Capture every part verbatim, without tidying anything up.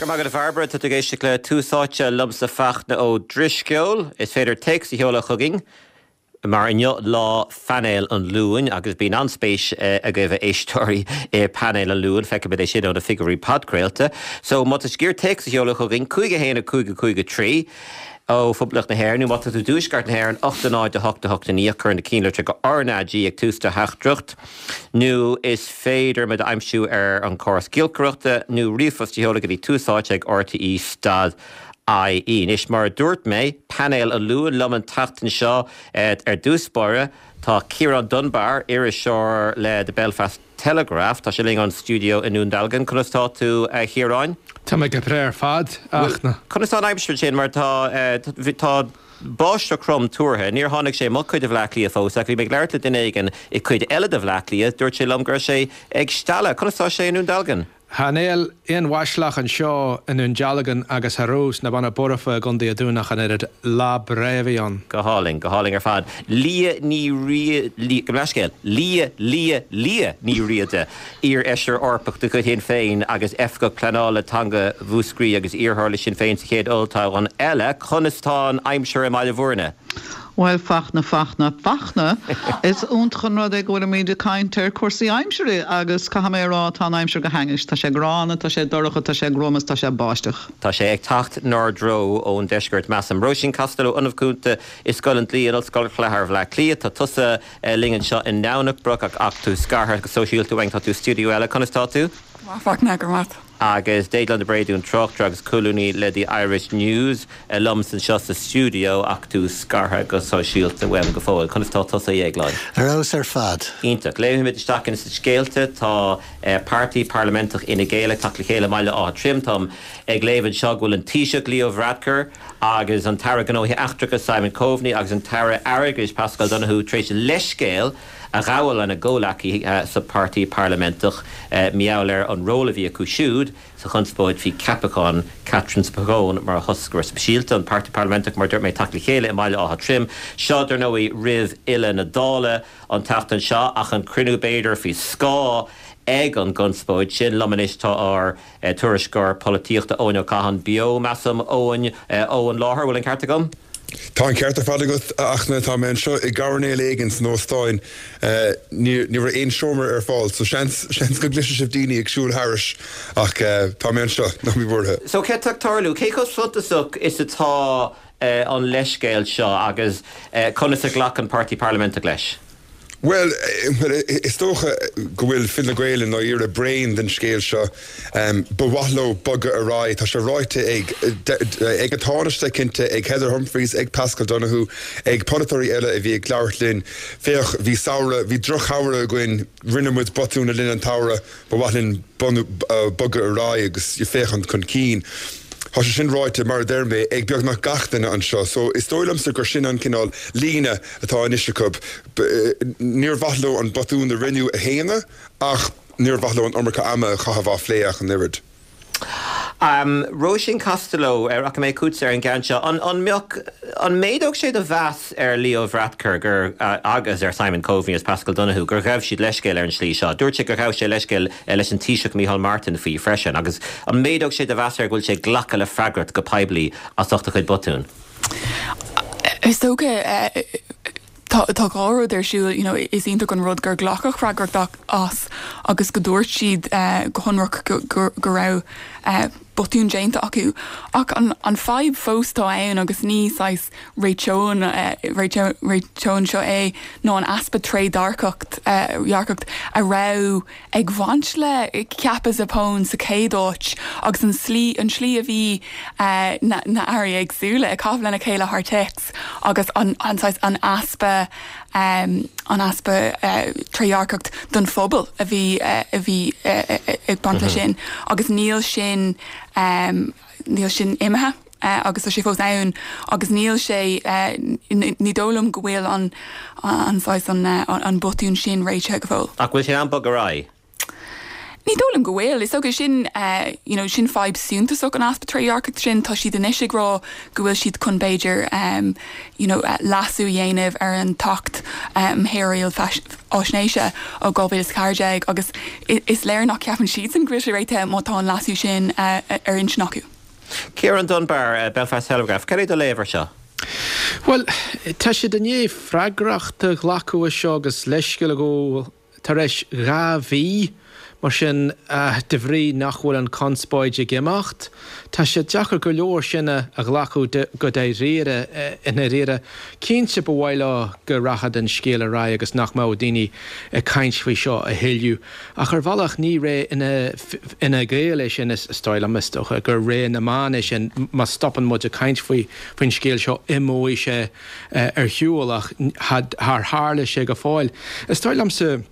Go maith agat, a Bhairbre. Tá tú ag éisteacht le Tús Áite liomsa, Fachtna Ó Drisceoil. Is féidir téacs a sheoladh chugainn mar inniu lá phainéal an Luain agus bíonn an-spéis agaibh, a éisteoirí, i painéal an Luain. Feicimid é sin ó na figiúirí podchraolta. So má tá sciar téacs a sheoladh chugainn, cúig a haon a cúig a cúig a trí ó Phoblacht na hÉireann, nó má tá tú i dtuaisceart na hÉireann, ocht a náid a hocht a hocht a naoi, cuir na cinnlitreacha R N A G ag tús do theachtaireacht, nó is féidir muid a aimsiú ar an chóras giolcaireachta nó ríomhphost a sheoladh go dtí tús áite ag R T E dot I E. Anois, mar a dúirt mé, painéal an Luain liom an tseachtain seo. Ar dtús báire tá Ciarán Dunbar, iriseoir le The Belfast Telegraph. Tá sé linn ón stiúideo i nDún Dealgan. Conas tá tú, a Chiaráin? Tá mé go breá ar fad, Fhachtna. Conas tá an aimsir sin, mar tá tá báisteach throm tuartha? Níor tháinig sé mo chuid de Bhaile Átha Cliath fós, ach bhí mé ag labhairt le duine éigin i cuid eile de Bhaile Átha Cliath, dúirt sé liom go raibh sé ag stealladh. Conas tá sé i nDún Dealgan? Cha níl aon bháisteach anseo i nDún Dealgan agus cha raibh sna Beanna Boirche i gContae an Dúin ach an oiread. Lá breá a bhí ann. Go hálainn, go hálainn ar fad. Lia Ní Rí go leithscéal. Lia Lia Lia Ní Riada, iar-fheisire Eorpach de chuid Shinn Féin agus oifigeach pleanála teanga Mhúscraí agus iarrthóir le Sinn Féin sa chéad olltoghchán eile. Conas tá an aimsir i mBaile Bhúirne? Bhuel, Fachtna, Fachtna, Fachtna, is iontach an rud é go bhfuilimid ag caint ar cúrsaí aimsire agus caithfidh mé a rá, tá an aimsir go hainnis. Tá sé gránna, tá sé dorcha, tá sé gruama, tá sé báisteach. Tá sé ag teacht 'nár dtreo ón deisceart, measaim. Róisín Costello, Ollamh Cúnta i Scoil an Dlí in Ollscoil Chathair Bhaile Átha Cliath. Tá tusa linn anseo i nDomhnach Broc ach ach tú scartha go sóisialta uainn, tá tú stiúideo eile. Conas tá tú? Fachtna, go maith. Agus Déaglán de Bréadún, tráchtaire agus colúnaí le The Irish News, liom anseo sa stiúideo ach tú scartha go sóisialta uaim go fóill. Conas tá tusa, a Dhéagláin? Ar fheabhas ar fad. Iontach. Léimimid isteach ins na scéalta. Tá Páirtí Parlaiminteach Fhine Gael ag teacht le chéile i mBaile Átha Troim. Táim ag léamh anseo go bhfuil an Taoiseach Leo Varadkar agus an tAire Gnóthaí Eachtracha Simon Coveney agus an tAire Airgeadais Paschal Donohoe tar éis leithscéal a ghabháil lena gcomhghleacaithe sa Páirtí Parlaiminteach mar gheall ar an ról a bhí acu siúd sa chonspóid faoi cheapachán Catherine Spacone mar thoscaire speisialta. An Páirtí Parlaiminteach, mar dúirt mé, teacht le chéile i mBaile Átha Troim. Seo, dar ndóigh, roimh fhilleadh na Dála an tseachtain seo, ach an cruinniú b'fhéidir faoi scáth ag an gconspóid sin. Liom anois tá ár tuairisceoir polaitíochta Eoin Ó Catháin beo, measaim, Eoin, ón láthair. Bhfuil an ceart agam? Tá an ceart ar fad agat, Fhachtna. Tá mé anseo i gcoirnéal éigin san óstán. Ní raibh aon seomra ar fáil, so seans seans go gcloisfidh sibh daoine ag siúl thairis, ach tá mé anseo, ná bí buartha. So céard atá ag tarlú? Cé chomh suntasach is atá an leithscéal seo agus conas a ghlac an Páirtí Parlaiminteach leis? Well, is dócha go bhfuil Fine Gael i ndáiríre bréan den scéal seo. Ba mhaith leo bogadh ar aghaidh. Tá sé ráite ag ag an Tánaiste cinnte, ag Heather Humphreys, ag Paschal Donohoe, ag polaiteoirí eile a bhí ag labhairt linn. Féach, bhí samhradh, bhí drochshamhradh againn, rinne muid botún le linn an tsamhraidh, ba mhaith linn bogadh ar aghaidh agus féachaint chun cinn. Tá sé sin ráite, mar a deir mé, ag beagnach gach duine anseo, so is dóigh liomsa gur sin an cineál líne atá anois acu. Níor mhaith leo an botún a rinneadh a shéanadh, ach níor mhaith leo an iomarca ama a chaitheamh á phlé ach an oiread. Um, Róisín Costello, rachaidh mé chugatsa ar an gceann seo. An, an mbeadh an méadódh sé do mheas ar Leo Varadkar gur uh, agus ar Simon Coveney agus Paschal Donohoe gur ghabh siad leithscéal ar an slí seo? Dúirt sé gur ghabh sé leithscéal leis an Taoiseach Micheál Martin faoi freisin, agus an méadódh sé do mheas air go bhfuil sé glacadh le freagracht go poiblí as ucht a chuid botún? Is dócha tá tá dhá rud ar siúl you know, is iontach an rud gur glacadh freagracht as agus go dúirt siad uh, go hionraic go, go, go raibh uh, botún déanta acu. Ach an, an fadhb fós tá ann agus ní saghas réiteoidh uh, réiteoidh seo é ná an easpa trédhearcacht uh, dhearcacht a raibh ag baint le ceapadh Zappone sa chéad áit agus an slí an slí a bhí uh, na, na hairí éagsúla ag caitheamh lena chéile thar téacs agus an, an, an easpa um, an easpa uh, trédhearcacht don phobal a bhí uh, a bhí uh, ag baint le sin agus níl sin um, níl sin imithe. Uh, agus tá sé fós ann agus níl sé uh, ní dóigh liom go bhfuil an an an, an, an botún sin réitithe go fóill. Ach bhfuil sé an bog ará? Ní dóigh liom go bhfuil. Is dócha sin you know sin fadhb suntasach an easpa trédhearcacht sin. Tá siad anois ag rá go bhfuil siad chun b'fhéidir um, you know, leasú a dhéanamh ar an tAcht um, Shaoráil Faisnéise ó dhá mhíle is ceathair déag agus is léir nach ceapann siadsan go bhfuil sé réitithe má tá an leasú sin uh, ar intinn acu. Ciarán Dunbar, Belfast Telegraph, cad é do léamh air seo? Well, tá siad i ndiaidh freagracht a ghlacadh as seo agus leithscéal a ghabháil tar éis dhá mhí. Mar sin, de bhrí nach bhfuil an chonspóid ag imeacht, tá sé deacair go leor sin a ghlacadh go dáiríre i ndáiríre. Cinnte ba mhaith leo go rachadh an scéal ar aghaidh agus nach mbeadh daoine ag caint faoi seo a thuilleadh. Ach ar bhealach ní ré Fhine Gael é sin, is dóigh liom, is dócha gur ré na meán é sin. Má stopann muid ag caint faoi faoin scéal seo imeoidh sé ar shiúl ach char tharla sé go fóill. Is dóigh liomsa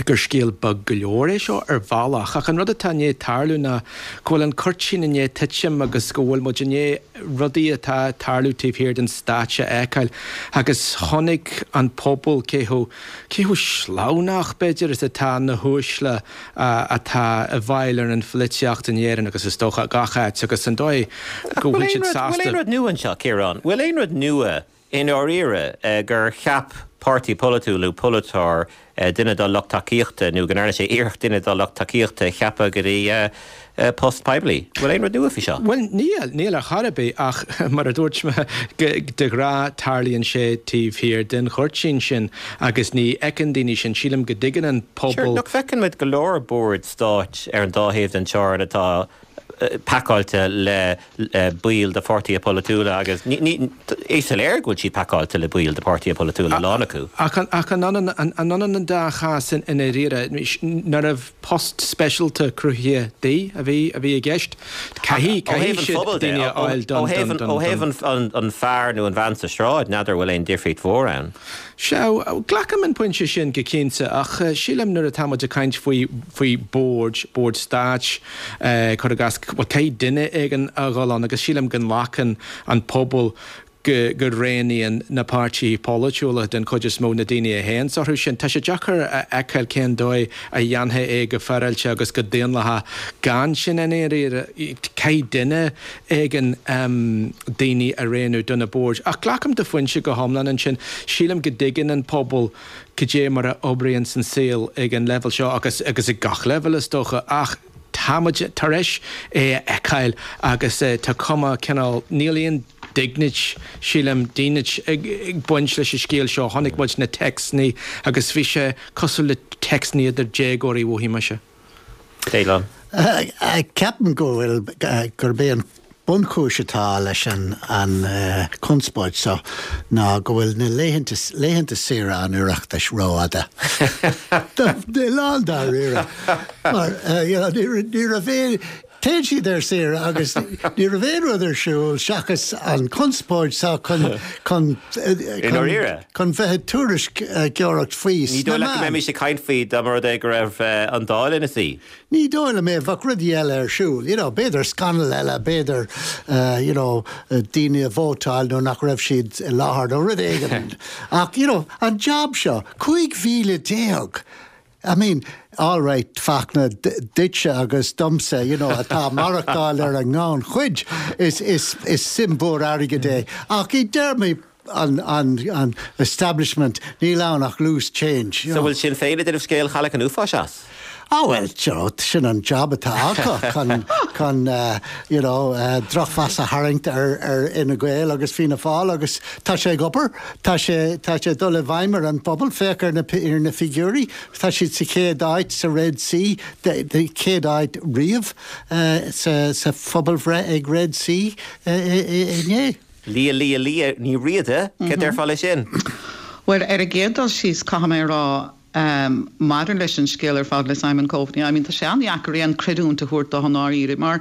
gur scéal beag go leor é seo ar bhealach, ach an rud atá i ndiaidh tarlú ná go bhfuil an cuirtín i ndiaidh titim agus go bhfuil muid i ndiaidh rudaí atá ag tarlú taobh thiar den stáitse a fheiceáil agus chonaic an pobal cé chomh cé chomh sleamhnach b'fhéidir is atá na huaisle atá i bhfeighil ar an pholaitíocht in Éirinn agus is dócha gach áit agus an dóigh go bhfuil siad sásta. Bhfuil aon rud nua anseo, Ciarán? Bhfuil aon rud nua i ndáiríre gur cheap páirtí polaitiúil nó polaiteoir duine dá lucht tacaíochta nó go ndearna sé iarracht duine dá lucht tacaíochta a cheapadh go dtí post poiblí. Bhfuil aon rud nua faoi seo? Bhuel, níl, níl ar chor ar bith ach mar a dúirt mé, de ghnáth tarlaíonn sé taobh thiar den chuirtín sin agus ní fheiceann daoine sin. Sílim go dtuigeann an pobal. Sure, nach bhfeiceann muid go leor boird stáit ar an dá thaobh den teorainn atá pacáilte le baill de pháirtithe polaitiúla agus is soiléir go bhfuil siad pacáilte le baill de pháirtithe polaitiúla, a lán acu. Ach an ionann an dá chás i ndáiríre? Nárbh post speisialta cruthaithe di a bhí a bhí i gceist? Caithfidh caithfidh siad daoine a fháil don Ó thaobh ó thaobh an fear nó an bhean sa sráid, n'fheadar bhfuil aon difríocht mhór ann. Sea, glacaim an pointe sin go cinnte ach sílim nuair atá muid ag caint faoi faoi bhoird, boird stáit, cuir i gcás, bhuel caithfidh duine éigin a dhul ann agus sílim go nglacann an pobal go go roghnaíonn na páirtithe polaitiúla den chuid is mó na daoine a théann orthu sin. Tá sé deacair a fheiceáil cén dóigh a dhéanfaí é go féaráilte agus go daonlathach gan sin i ndáiríre. Caithfidh duine éigin daoine a roghnú do na boird. Ach glacaim do phointe go hiomlán ansin. Sílim go dtuigeann an pobal cad é mar a oibríonn an saol ag an leibhéal seo agus agus ag gach leibhéal is dócha ach tá muid tar éis é a fheiceáil agus tá cuma cineál, níl aon dignit, sílim, dínit ag baint leis an scéal seo. Chonaic muid na téacsanna agus bhí sé cosúil le téacsanna idir déagóirí, mhothaigh mise. Déaglán. Ceapaim go bhfuil, gurb é an bunchúis atá leis an an chonspóid seo ná go bhfuil na laethanta laethanta saoire an Oireachtais rófhada. Lándáiríre. Mar you know, ní raibh aon Téann siad ar saoire agus ní raibh aon rud ar siúl seachas an chonspóid seo chun chun I ndáiríre? chun bheith ag tuairisceoireacht faoi Ní sna dóigh leat go meáin. mbeimis ag caint faoi dá mba rud é go raibh an Dáil ina suí? Ní dóigh liom é, bheadh rudaí eile ar siúl, you know, b'fhéidir scannal eile, b'fhéidir you know, daoine a vótáil nó nach raibh siad i láthair nó rud éigin. Ach you know, an job seo, cúig mhíle déag! I mean, all right, Fachtna, duitse agus domsa, you know, atá ag maireachtáil ar an ngannchuid, is, is, is suim mhór airgid é. Ach i dtéarmaí an, an, an establishment, níl ann ach loose change. You So know. bhfuil Sinn Féin ag déanamh scéal chailleach an uafáis as? Ah well, you know, sin an job atá acu chun, chun uh, you know, uh, drochmheas a tharraingt ar, ar Fhine Gael agus Fianna Fáil agus tá sé ag obair, tá sé, tá sé dul i bhfeidhm ar an bpobal, féach ar na, ar na figiúirí, tá siad sa chéad áit sa Red C, de, de chéad áit riamh uh, sa, sa phobalbhreith ag Red C uh, inné. Lia Lia Lia Ní Riada, cad déarfá leis sin? Well, ar an gcéad dul síos caithfidh mé a rá um, maidir leis an scéal ar fad le Simon Coveney, I mean, tá sé an-deacair aon chreidiúint a thabhairt dó i ndáiríre, mar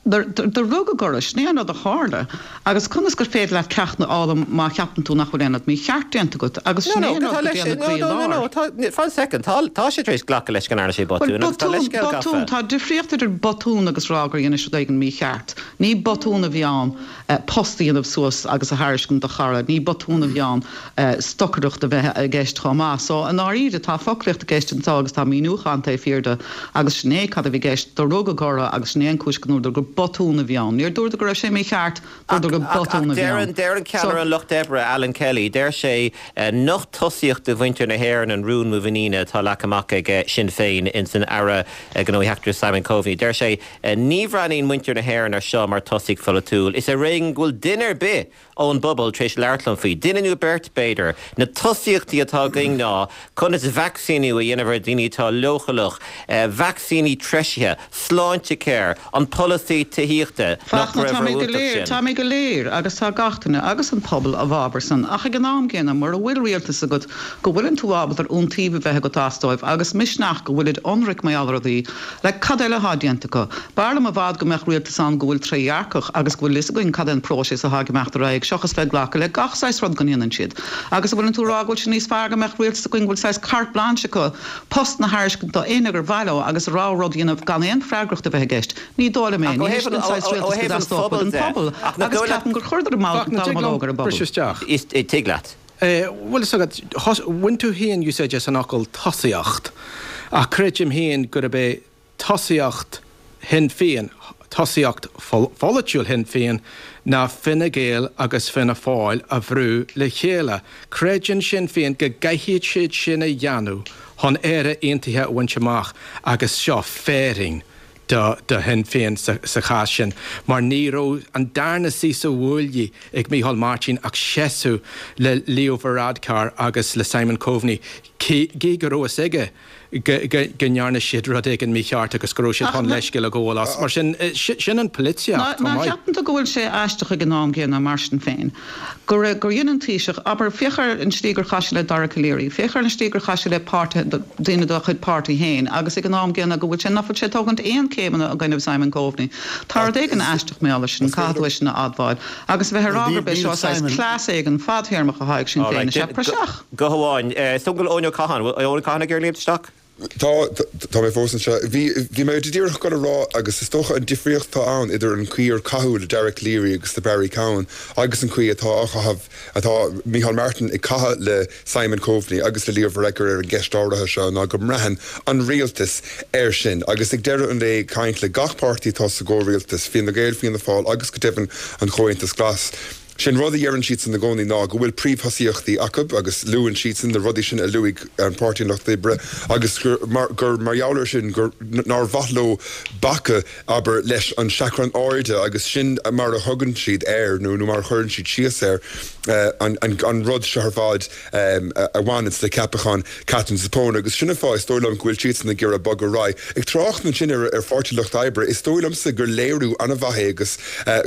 Do rugadh orthu, sin é an rud a tharla. Agus conas gur féidir leat ceacht a fhoghlaim má cheapann tú nach bhfuil aon rud mícheart déanta agat? Agus sin é an rud go dtéann na croí i lár. Fan soicind, tá sé tar éis glacadh leis go ndearna sé botún agus tá leithscéal gafa. Botún, tá difríocht idir botún agus rá gur dhein rud éigin mícheart. Ní botún a bhí ann post a dhéanamh suas agus a thairiscint do chara, ní botún a bhí ann stocaireacht a bheith i gceist chomh maith. So, i ndáiríre, tá foclaíocht i gceist anseo agus tá míniúchán taobh thiar de agus sin é cad a bhí i gceist, do rugadh orthu agus sin é an chúis go ndúradar gur botún a bhí ann. Níor dúradar go raibh sé mícheart, dúradar gur botún a bhí ann. Ach deir an ceannaire an Lucht Oibre, Alan Kelly, deir sé nach tosaíocht do mhuintir na hÉireann an rún muiníne atá leagtha amach ag Sinn Féin ins an Aire Gnóthaí Eachtracha Simon Coveney. Deir sé ní bhreathnaíonn muintir na hÉireann ar seo mar tosaíocht pholaitiúil. Is ar éigean go bhfuil duine ar bith ón bpobal tar éis labhairt liom faoi, duine nó beirt b'fhéidir. Na tosaíochtaí atá againn ná conas vacsaíniú a dhéanamh ar dhaoine atá leochaileach, vacsaíní treisithe, Sláintecare, an polasaí tithíochta, nach Fachtna, raibh tá mé go rófhiúntach léir, sin. tá mé go léir agus tá gach duine agus an pobal i bhfabhar san, ach ag an am gcéanna mura bhfuil rialtas agat go bhfuileann tú ábalta ar iontaoibh a bheith agat as dóibh agus misneach go bhfuilid ionraic mar gheall ar rudaí, like cad eile atá déanta acu? B'fhearr liom i bhfad go mbeadh rialtas ann go bhfuil trédhearcach agus go bhfuil fhios againn cad é an próiseas atá ag imeacht ar aghaidh seachas bheith ag glacadh le gach saghas rud go ndéanann siad. Agus an bhfuileann tú ag rá go bhfuil sé níos fearr go mbeadh rialtas againn go bhfuil saghas carte blanche acu postanna a thairiscint do éinne gur mhaith leo agus a rogha rud a dhéanamh gan aon freagracht a bheith i gceist? Ní dóigh liom é. Ach ó Ní thaobh hé sin an saghas ó rialtas go thaobh an dteastódh phobail uaidh an de, pobal ach nach agus dóigh leat ceapaim gur chuireadar Fachtna, tig liom dallamullóg ar an bpobal. briseadh isteach? Is tig leat. Bhuel, is agat, bhain tú féin úsáid as an fhocal tosaíocht, ach creidim féin gurb é tosaíocht Shinn Féin, tosaíocht pholaitiúil Shinn Féin ná Fine Gael agus Fianna Fáil a bhrú le chéile. Creideann Sinn Féin go gcaithfidh siad sin a dhéanamh chun Éire Aontaithe a bhaint amach agus seo féirín do do Shinn Féin sa sa chás sin mar ní raibh an darna suí sa bhuaile ag Micheál Martin ach seasamh le Leo Varadkar agus le Simon Coveney gí go raibh a fhios aige go go ndearna siad rud éigin mícheart agus go raibh siad Ach chun na leithscéal a ghabháil as. Mar sin sin an Ná pholaitíocht chomh ná maith. ceapann tú go bhfuil sé aisteach ag an am gcéanna mar sin féin go raibh gur dhein an Taoiseach, abair, féach ar an slí gur chaith sé le Dara Calleary, féach ar an slí gur chaith sé le páirtithe, daoine dá chuid páirtí féin agus ag an am gcéanna go bhfuil sé, nach bhfuil sé ag tógaint aon céimeanna i gcoinne Simon Coveney. Tá rud éigin aisteach mar gheall air sin, caithfidh tú é sin a admháil. Agus a bheith ag rá Níl gurb é níl seo saghas Simon. cleas éigin fadthéarmach atá ag Sinn All Féin, right, is ea praiseach. Guth amháin. Is dóigh go bhfuil Eoin Ó Catháin, bhfuil Eoin Ó Catháin ag iarraidh léimt isteach? Tá tá mé fós anseo. Bhí bhí mé díreach ag rá agus is dócha an difríocht atá ann idir an chaoi ar caitheadh le Dara Calleary agus le Barry Cowen agus an chaoi atá á chaitheamh atá Micheál Martin ag caitheamh le Simon Coveney agus le Leo Varadkar ar an gceist áirithe seo ná go mbraitheann an rialtas air sin agus ag deireadh an lae caint le gach páirtí atá sa gcomhrialtas, Fine Gael, Fianna Fáil agus go deimhin an Comhaontas Glas. Sin rud a deireann siadsan i gcónaí ná go bhfuil príomhthosaíochtaí acu agus luann siadsan na rudaí sin a luaigh an Páirtí an Lucht Oibre agus gur mar gur mar gheall air sin gur nár mhaith leo bacadh abair leis an seachrán airde agus sin mar a thugann siad air nó nó mar a chuireann siad síos air an an an rud seo ar fad a bhaineann le ceapachán Katherine Zappone agus sin an fáth is dóigh liom go bhfuil siadsan ag iarraidh bogadh ar aghaidh. Ag trácht ansin ar ar Pháirtí Lucht Oibre is dóigh liomsa gur léiriú an-mhaith é agus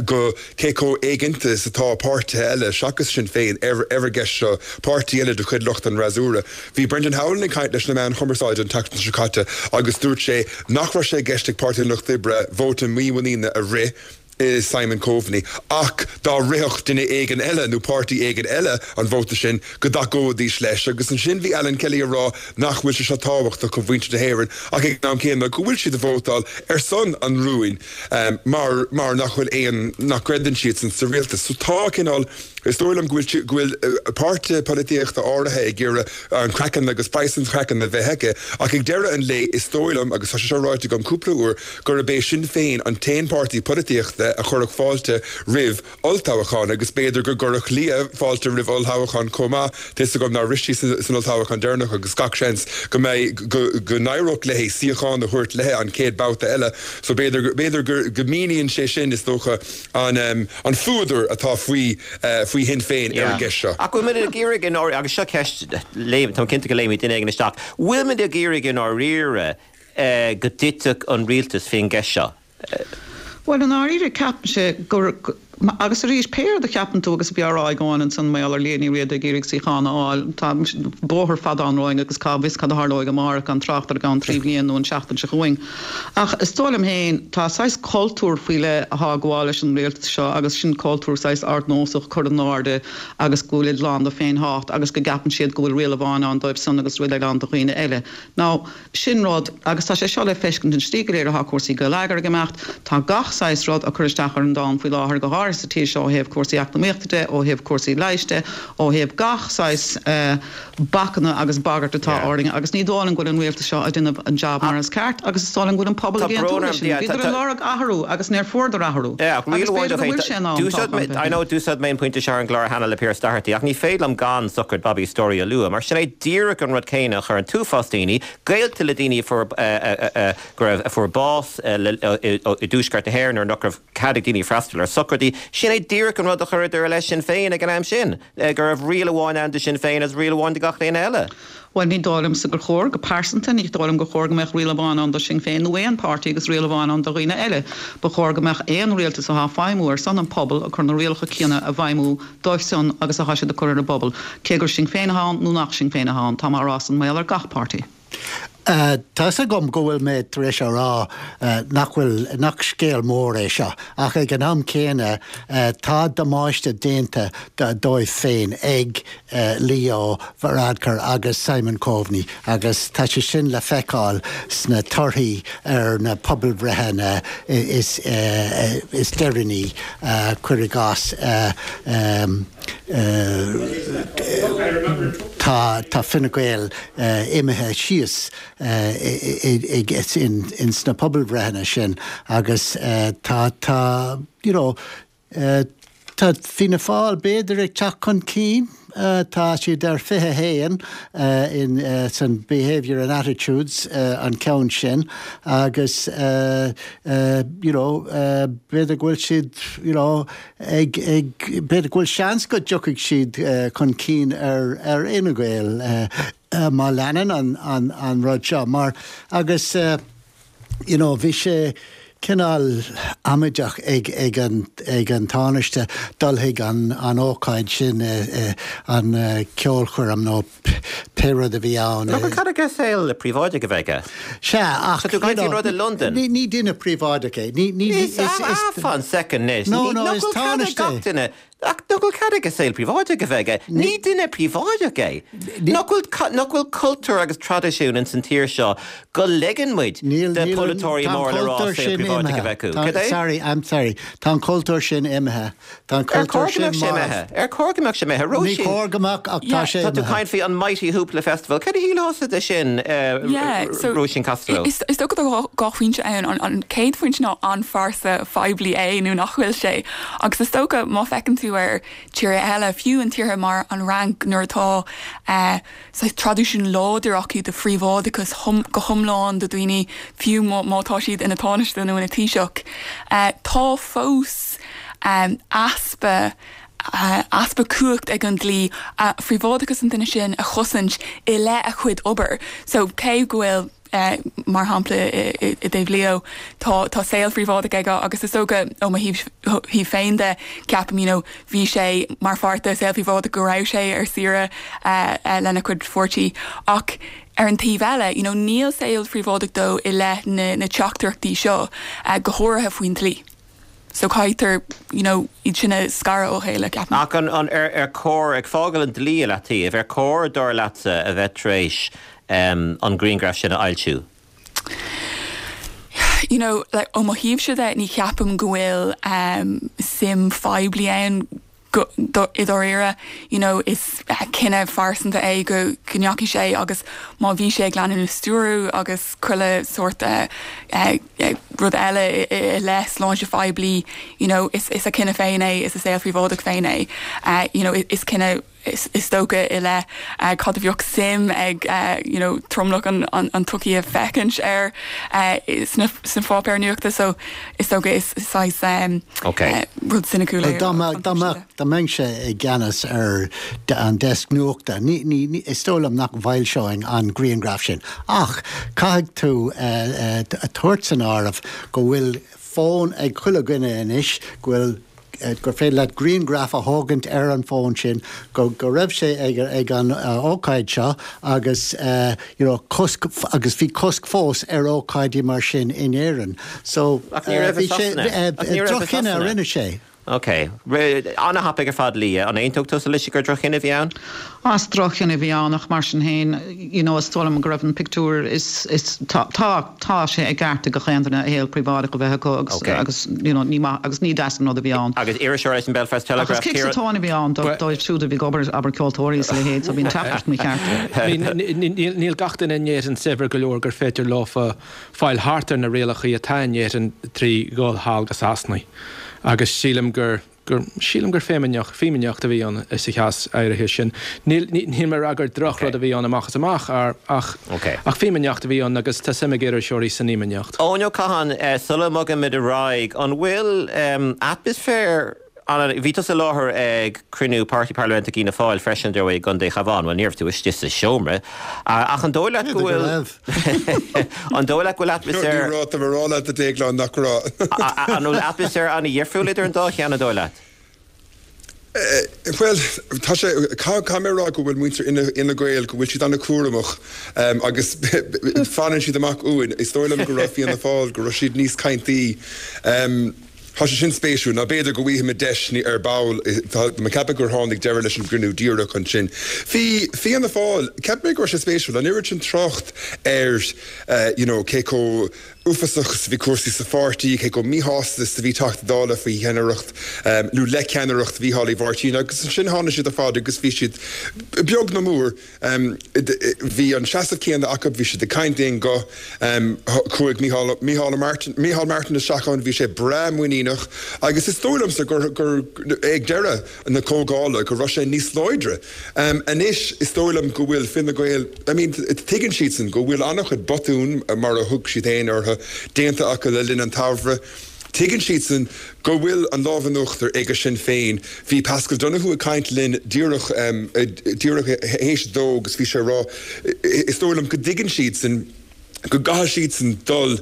go cé chomh éiginnte is atá páirtithe eile seachas Sinn Féin ar ar an gceist seo, páirtí eile de chuid lucht an fhreasúra. Bhí Brendan Howlin ag caint leis na meáin chumarsáide an tseachtain seo caite agus dúirt sé nach raibh sé i gceist ag Páirtí an Lucht Oibre vóta mímhuiníne a rith i Simon Coveney ach dá rithfeadh duine éigin eile nó páirtí éigin eile an vóta sin go dtacóidís leis agus ansin bhí Alan Kelly ag rá nach bhfuil sé seo tábhachtach do mhuintir na hÉireann ach ag an am céanna go bhfuil siad ag vótáil ar son an rúin um, mar mar nach bhfuil aon nach gcreideann siad san sa rialtas. So tá cineál is dóigh liom go bhfuil go bhfuil uh, páirtithe polaitíochta áirithe ag iarraidh an craiceann agus praghas an chraicinn a bheith aige ach ag deireadh an lae is dóigh liom agus tá sé seo ráite agam cúpla uair gurb é Sinn Féin an t-aon páirtí polaitíochta a chuirfeadh fáilte roimh olltoghchán agus b'fhéidir go gcuirfeadh Leo fáilte roimh olltoghchán chomh maith tá a fhios agam nár rith sí san olltoghchán deireanach agus gach seans go mbeidh go go n-éireodh léi suíochán a thabhairt léi an chéad babhta eile so b'fhéidir b'fhéidir go go míníonn sé sin is dócha an um, an fuadar atá faoi uh, faoi Shinn Féin ar an gceist seo. Ach bhfuil muid ag iarraidh in agus seo ceist tá cinnte go léimfidh duine éigin isteach. Bhfuil muid ag iarraidh i ndáiríre uh, go dtitfeadh an rialtas faoin gceist seo. Well i ndáiríre ceapaimse gur Agus arís, pé rud a cheapann tú agus a bhí á rá ag Eoin ansan mar gheall ar Liadh Ní Riada ag iarraidh suíochán a fháil, tá bóthar fada ann romhainn agus cá bhfios cad a tharlóidh amárach, gan trácht ar i gceann trí bhliain nó an tseachtain seo chugainn. Ach is dóigh liom féin, tá saghas cultúr faoi leith athá ag gabháil leis an rialtas seo agus sin cultúr saghas ardnósach, cur in airde agus go bhfuilid lán de féinthábhacht agus go gceapann siad go bhfuil riail amháin ann dóibh san agus riail eile ann do dhaoine eile. Now, sin rud, agus tá sé seo le feiscint an tslí go léir athá cúrsaí geilleagair ag imeacht, tá gach saghas rud á cur isteach ar an domhan faoi láthair, go háirithe sa tír seo ó thaobh cúrsaí eacnamaíochta de, ó thaobh cúrsaí leighis de, ó thaobh gach saghas bacanna agus bagairt atá orainn agus ní dóigh liom go bhfuil an rialtas seo ag déanamh an jab mar is ceart agus is dóigh liom go bhfuil an pobal ag aontú leis sin. Bhíodar ag lorg athrú agus níor fuaireadar athrú agus b'fhéidir go bhfuil sé in am toghchán I know d'úsáid mé an pointe seo ar an gclár cheana le Pearse Doherty ach ní féidir liom gan sochraid Bobby Storey a lua mar sin é díreach an rud céanna a chuir an t-uafás daoine, gaolta le daoine a fuair go raibh a fuair bás i dtuaisceart na hÉireann nuair nach raibh cead ag daoine freastal ar sochraidí. Sin é díreach an rud a chuireadar i leith Sinn Féin ag an am sin, go raibh riail amháin ann do Shinn Féin agus riail amháin do gach éinne eile. Bhuel, ní dóigh liomsa gur chóir, go pearsanta, ní dóigh liom gur chóir go mbeadh riail amháin ann do Shinn Féin nó aon páirtí agus riail amháin ann do dhaoine eile. Ba chóir go mbeadh aon rialtas athá ag feidhmiú ar son an pobal ag cur na rialacha céanna i bhfeidhmiú dóibh san agus athá siad ag cur ar an bpobal, cé gur Sinn Féin athá ann nó nach Sinn Féin athá ann. Tá mé á rá san mar gheall ar gach páirtí. Tá's agam go bhfuil mé tar éis a rá nach bhfuil, nach scéal mór é seo, ach ag an am céanna tá damáiste déanta dóibh féin ag Leo Varadkar agus Simon Coveney agus tá sé sin le feiceáil sna torthaí ar na pobalbhreitheanna is deireanaí, cuir i gcás. Tá Fine Gael imithe síos ins na pobalbhreitheanna sin agus tá, tá, you know, tá Fianna Fáil b'fhéidir ag teacht chun cinn. Tá siad ar fiche a haon in san Behaviour and Attitudes an ceann sin agus you know b'fhéidir go bhfuil siad you know ag ag b'fhéidir go bhfuil seans go dtiocfaidh siad chun cinn ar ar Fhine Gael má leanann an an an rud seo mar agus you know bhí sé cineál amaideach ag ag an ag an Tánaiste dul chuig an an ócáid sin an ceolchoirm nó pé rud a bhí ann. Nach bhfuil cead aige saol príobháideach a bheith aige? Sea, ach Tá tú ag caint faoin rud i Londain. Ní ní duine príobháideach é. Ní ní is is Fan soicind anois. No, no, Nach is bhfuil cead ag Tánaiste gach é. duine Ach nach bhfuil cead aige saol príobháideach a bheith aige? Ní duine príobháideach é. Nach bhfuil nach bhfuil cultúr agus traidisiún ins an tír seo go ligeann muid Níl de níl pholaiteoirí tá an mór le rá cultúr saol sin príobháideach a imithe. bheith acu. Tá Cad é? sorry, I'm sorry. Tá an cultúr sin imithe. Tá an Ar cultúr chóir go sin mbeadh sé marbh. imithe? Ar chóir go mbeadh sé imithe? Ní Róisín, chóir go mbeadh ach tá Yeah. sé tá tú imithe. caint faoi an Mighty Hoopla Festival. Cad a shílfeá de sin, Yeah, so Róisín Costello? Is is dócha tá dhá phointe ann an an chéad phointe ná an phearsa phoiblí é nó nach bhfuil sé. Agus is dócha má fheiceann tú ar tíortha eile fiú an tíortha mar an Fhrainc nuair atá eh, saghas traidisiún láidir acu de phríobháideachas hum, go hiomlán do daoine fiú má, má tá siad ina tánaiste nó ina taoiseach. Eh, tá fós um, easpa uh, easpa cumhacht ag an dlí uh, phríobháideachas an duine sin a chosaint i leith a chuid obair. So cé go bhfuil Uh, mar shampla i dtaobh Leo tá tá saol phríobháideach aige agus is dócha ó mo thaobh féin de ceapaim you know, bhí sé mar pháirt de saol phríobháideach go raibh sé ar saoire uh, uh, lena chuid pháirtí ach ar an taobh eile you know, níl saol phríobháideach dó i leith na, na teachtaireachtaí seo uh, go háirithe faoin dlí. So caithfear you know, iad sin a scaradh ó chéile ceapaim. Ach an, an ar, ar chóir ag fágáil an dlí le taobh, ar chóir dar leatsa a bheith tar éis um, an grianghraf sin a fhoilsiú? You know, like, ó mo thaobhsa de ní cheapaim go bhfuil um, suim phoiblí ann go- do- i dáiríre you know, is uh, cinneadh phearsanta é go go ndeachaigh sé agus má bhí sé ag leanúint stiúradh agus chuile sórt uh, uh, uh, rud eile i, i, i leith sláinte phoiblí you know, is, is a cinneadh féin é is a saol phríobháideach féin é uh, you know, is cinneadh is, is dócha i leith uh, cad a bheadh suim ag uh, you know, tromlach an, an, an tsochaí a fheiscint ar uh, sna, sna pháipéir nuachta so is dócha is saghas um, Okay. uh, rud ciniciúil é Dá an dá taobh dá mbeinnse i gceannas ar de- an desk nuachta, ní, ní, ní, is dóigh liom nach bhfoilseoinn an grianghraf sin. Ach caithfidh tú uh, uh, a tabhairt san áireamh go bhfuil fón ag chuile dhuine anois go bhfuil gur féidir leat grianghraf a thógaint ar an bhfón sin go go raibh sé ag ag an ócáid seo agus you know cosc agus bhí cosc fós ar ócáidí mar sin in Éirinn. So bhí sé droch-chinneadh a rinne sé. Ok. An-thapaidh ar fad Lia, an aontódh tusa leis gur droch-chinneadh a bhí ann? Is droch-chinneadh a bhí ann ach mar sin féin, you know, is dóigh liom go raibh an pictiúr is is tá tá tá sé i gceart ag gach aon duine a shaol príobháideach a bheith acu agus okay. agus you know, ní maith agus ní deas an rud a bhí ann. Agus iriseoir leis an Belfast Telegraph. Agus cic sa tóin a bhí ann dóibh siúd a bhí ag obair abair ceoltóirí is a leithéid so bhí an teachtaireacht mícheart. Níl gach duine in Éirinn saibhir go leor gur féidir leofa fáil thart ar na rialacha atá in Éirinn trí dhul thall go Sasana. Agus sílim gur gur sílim gur fimíneacht fimíneacht a bhí ann sa chás áirithe sin. Níl níl mé ag rá gur drochrud a bhí ann amach is amach ach ach fimíneacht a bhí ann agus tá suim ag iriseoirí san fhimíneacht. Eoin Ó Catháin, sula mbogaimid ar aghaidh, an bhfuil atmaisféar an bhí tusa i láthair ag cruinniú Páirtí Parlaiminteach Fhianna Fáil freisin dar ndóigh i gContae Chabháin, bhuel ní raibh tú istigh sa seomra, ach an dóigh leat go bhfuil an dóigh leat go bhfuil atmaisféar Ní raibh, tá mé ag rá leat a Dhéagláin nach raibh. An bhfuil atmaisféar an-dhifriúil idir an dá cheann an dóigh leat? Bhuel, tá sé, caithfidh mé a rá go bhfuil muintir Fhine Gael, go bhfuil siad an-chúramach agus fanann siad amach uainn. Is dóigh liom go raibh Fianna Fáil, go raibh siad níos caintaí. Tá sé sin spéisiúil, nó b'fhéidir go bhfaighimid deis ar ball, tá mé ag ceapadh gur tháinig deireadh leis an gcruinniú díreach ansin. Bhí Fianna Fáil, cheap mé go raibh sé spéisiúil, an oiread sin trácht ar you know cé chomh uafásach is a bhí cúrsaí sa pháirtí, cé chomh míshásta is a bhí Teachtaí Dála faoi cheannaireacht nó le ceannaireacht Mhícheál Uí Mháirtín agus ansin tháinig siad ar fad agus bhí siad beag nó mór Bhí an seasamh céanna acu, bhí siad ag caint d'aon ghuth. Chuaigh Mícheál, Mícheál Martin, Mícheál Martin isteach ann, bhí sé breá muiníneach agus is dóigh liomsa gur, gur, ag deireadh na comhdhála go raibh sé níos láidre. Anois is dóigh liom go bhfuil Fine Gael, I mean tuigeann siadsan go bhfuil an-chuid botún, mar a thug siad féin orthu, déanta acu le linn an tsamhraidh. Tuigeann siadsan go bhfuil an lámh in uachtar ag Sinn Féin. Bhí Paschal Donohoe ag caint linn díreach díreach théis a dó agus bhí sé ag rá, is dóigh liom go dtuigeann siadsan go gcaithfidh siadsan dul,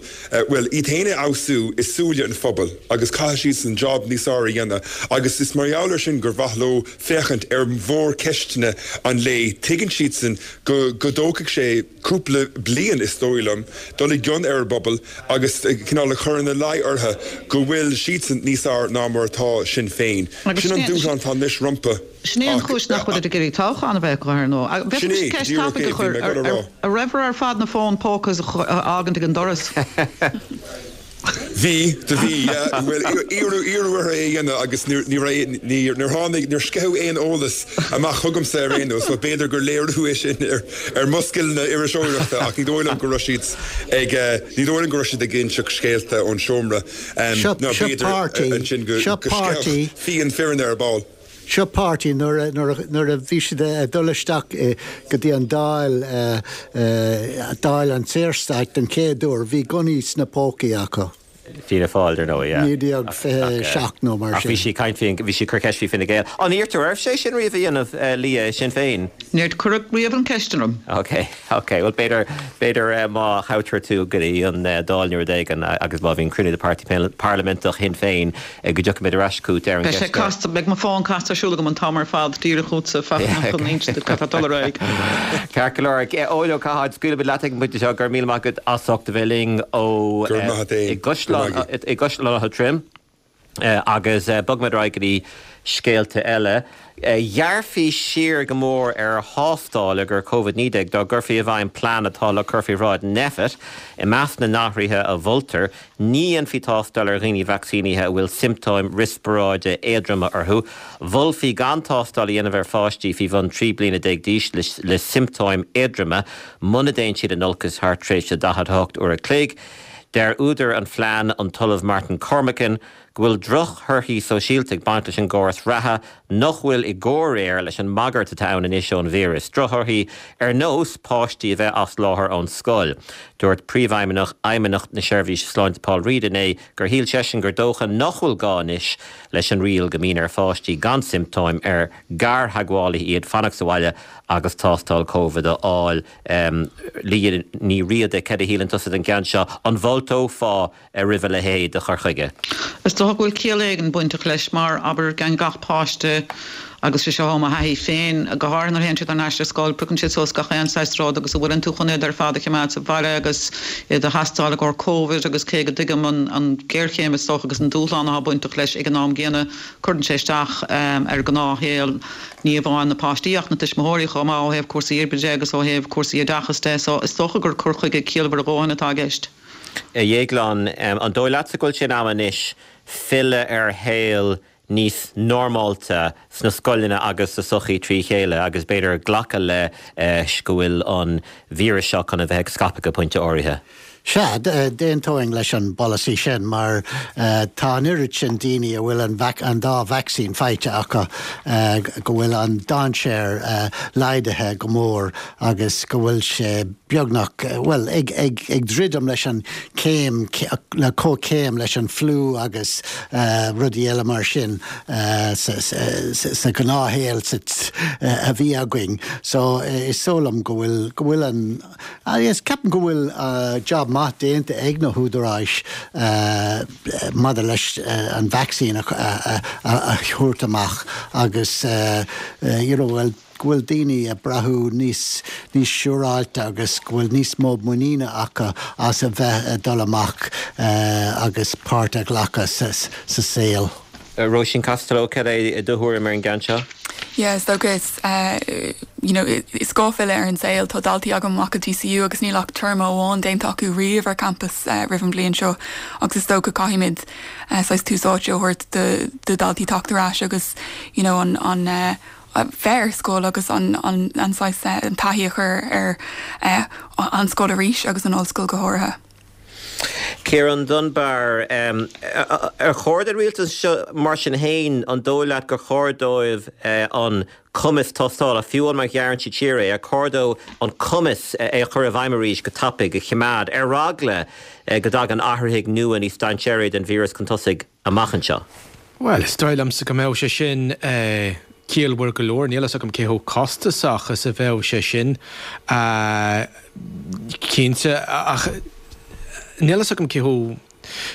bhuel, iad féin a fheabhsú i súile an phobail agus caithfidh siadsan job níos fearr a dhéanamh agus is mar gheall air sin gur mhaith leo féachaint ar mhórcheisteanna an lae. Tuigeann siadsan go go dtógfaidh sé cúpla bliain, is dóigh liom, dul i gcion ar an bpobal agus cineál a chur ina luí orthu go bhfuil siadsan níos fhearr ná mar atá Sinn Féin. Agus Sin an dúshlán atá anois rompu sin é an ach chúis nach bhfuilid ag iarraidh toghchán a bheith acu, ar ndóigh. Sin Bhféadfaimis é, ceist díreach tapaidh é, a bhí chur, mé ag dul a rá. An rabhabhair ar fad na fóin póca a fhágaint ag an doras? Bhí, do bhí, yeah. Bhuel, iarradh, iarradh orthu é a dhéanamh agus níor, ní raibh, níor, níor tháinig, níor sceitheadh aon eolas amach chugamsa ar aon nós, so b'fhéidir gur léiriú é sin ar, ar mo scileanna iriseoireachta ach ní dóigh liom go raibh siad ag, ní dóigh liom go raibh siad ag inseacht scéalta ón seomra, Seo, nó seo b'fhéidir páirtí, ansin go, seo go sceithfeadh páirtí. fíon fireann ar ball. Seo páirtí nuair nuair a bhí siad ag dul isteach go dtí an Dáil, Dáil an tSaorstáit den chéad uair, bhí gunnaí sna pócaí acu. Fianna Fáil, dar ndóigh, yeah. naoi déag fiche seacht nó mar Ach bhí sin. sí ag caint faoi, bhí sí ag cur ceist faoi Fine Gael. An iarrtar oraibh sé sin riamh a dhéanamh, Lia, Sinn Féin? Níor cuireadh riamh an cheist orm. Ok, ok. Bhuel, b'fhéidir, b'fhéidir má thoghtar tú go dtí an Dáil nó rud éigin agus má bhíonn cruinniú de Páirtí Parlaiminteach Shinn Féin go dtiocfaimid ar ais chugat ar an Beidh sé gceist seo. casta, beidh mo fón casta ar siúl agam an t-am ar fad, díreach chugatsa, Fachtna, chun inse duit cad tá ag dul ar aghaidh. Ceart go leor. Eoin Ó Catháin, scaoilfimid leat ag an bpointe seo. Go raibh míle maith agat as ucht a bheith linn ó Go raibh maith agat i féin. Go raibh maith agat. i gCaisleán Átha Troim. Agus bogfaimid ar aghaidh go dtí scéalta eile. Ghearrfaí siar go mór ar thástáil i gcomhair Covid naoi déag dá gcuirfí i bhfeidhm plean atá le cur faoi bhráid Nphet. I measc na n-athruithe a mholtar, ní dhéanfaí tástáil ar dhaoine vacsaínithe a bhfuil siomptóim riospráide éadroma orthu. Mholfaí gan tástáil a dhéanamh ar pháistí faoi bhun trí bliana déag d'aois le siomptóim éadroma muna dtéann siad in olcas thar tréimhse daichead a hocht uair a chloig. Deir údar an phlean, an tOllamh Martin Cormican, go bhfuil drochthorthaí sóisialta ag baint leis an gcóras reatha nach bhfuil i gcomhréir leis an mbagairt atá ann anois ón víreas, drochthorthaí ar nós páistí a bheith as láthair ón scoil. Dúirt Príomhfheidhmeannach Fheidhmeannacht na Seirbhíse Sláinte Paul Reid inné gur shíl seisean gur dócha nach bhfuil gá anois leis an riail go mbíonn ar pháistí gan siomptóim ar gartheagmhálaithe iad fanacht sa bhaile agus tástáil Covid a fháil. Liadh Ní Riada, cad a shíleann tusa den gceann seo? An bhfáilteofá roimh a leithéid de chur chuige? Is dócha go bhfuil ciall éigin bainteach leis mar abair gan gach páiste agus sé seo mo thaithí féin go háirithe nuair a théann siad ar ais ar scoil, piocann siad suas gach aon saghas rud agus an bhfuileann tú chun iad ar fad a choimeád sa bhaile agus iad a thástáil i gcomhair Covid agus cé go dtuigim an an géarchéim is dócha agus an dúshlán atá bainteach leis ag an am gcéanna cuireann sé isteach ar ghnáthshaol ní amháin na páistí ach na tuismitheoirí chomh maith ó thaobh cúrsaí oibre de agus ó thaobh cúrsaí oideachais de so is dócha gur cur chuige ciallmhar a dhóthain atá i gceist. A Dhéagláin, an dóigh leatsa go bhfuil sé in am anois filleadh ar shaol níos normálta sna scoileanna agus sa sochaí trí chéile agus b'fhéidir glacadh leis go bhfuil an víreas seo chun a bheith ag scaipeadh go pointe áirithe. Sea, d'aontóinn leis an bpolasaí sin mar tá an oiread sin daoine a bhfuil an an dá vacsaín faighte acu go bhfuil an dainséar laghdaithe go mór agus go bhfuil sé beagnach, bhuel, ag ag ag druidim leis an céim le comhchéim leis an fliú agus rudaí eile mar sin sa sa ghnáthshaol a bhí againn. So is dóigh liom go bhfuil go bhfuil an Is ceapaim go bhfuil job maith déanta ag na húdaráis maidir leis an vacsaín a thabhairt amach agus you know well go bhfuil daoine ag brath níos níos siúráilte agus go bhfuil níos mó muiníne acu as a bheith ag dul amach agus páirt a ghlacadh sa sa saol. Róisín Costello, cad é do thuairim ar an gceann seo? Yeah, is dócha is uh, you know, is gá filleadh ar an saol tá daltaí agam amach i DCU agus níl ach téarma amháin déanta acu riamh ar campus uh, roimh an bhliain seo agus is dócha caithfimid uh, saghas tús áite a thabhairt do, do daltaí teacht ar ais agus you know, an, an uh, bheith ar scoil agus an, an, an saghas uh, an taithí a chur ar uh, an scoil arís agus an ollscoil go háirithe. Ciarán Dunbar, um, ar chóir don rialtas seo mar sin féin an dóigh leat gur chóir dóibh uh, an cumas tástála fiú má ghearrann siad siar é ar chóir dóibh an cumas é a chur i bhfeidhm arís go tapaidh a choimeád ar eagla uh, go dtagann athruithe nua níos dainséaraí den víreas chun tosaigh amach anseo. Well, is dóigh liomsa go mbeadh sé sin uh, ciallmhar go leor, níl a fhios agam cé chomh costasach is a bheadh sé sin uh, cinnte ach níl a fhios agam cé chomh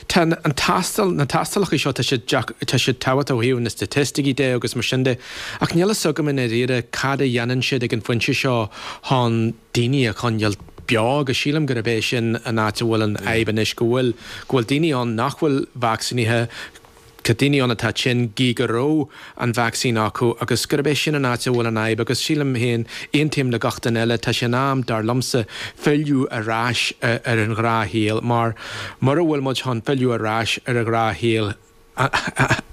Tá an tástáil na tástálacha seo tá siad tá siad tábhachtach ó thaobh na staitisticí de agus mar sin de ach níl a fhios agam i ndáiríre cad a dhéanann siad ag an phointe seo chun daoine a choinneáil beo agus sílim gurb é sin an áit a bhfuil an fhadhb anois go bhfuil go bhfuil daoine ann nach bhfuil vacsaínithe Tá daoine ann atá tinn gí go raibh an vacsaín acu agus gurb é sin an áit a bhfuil an fhadhb agus sílim féin aontaím le gach duine eile tá sé in am dar liomsa filleadh ar ais ar an ghnáthshaol mar mura bhfuil muid chun filleadh ar ais ar an ghnáthshaol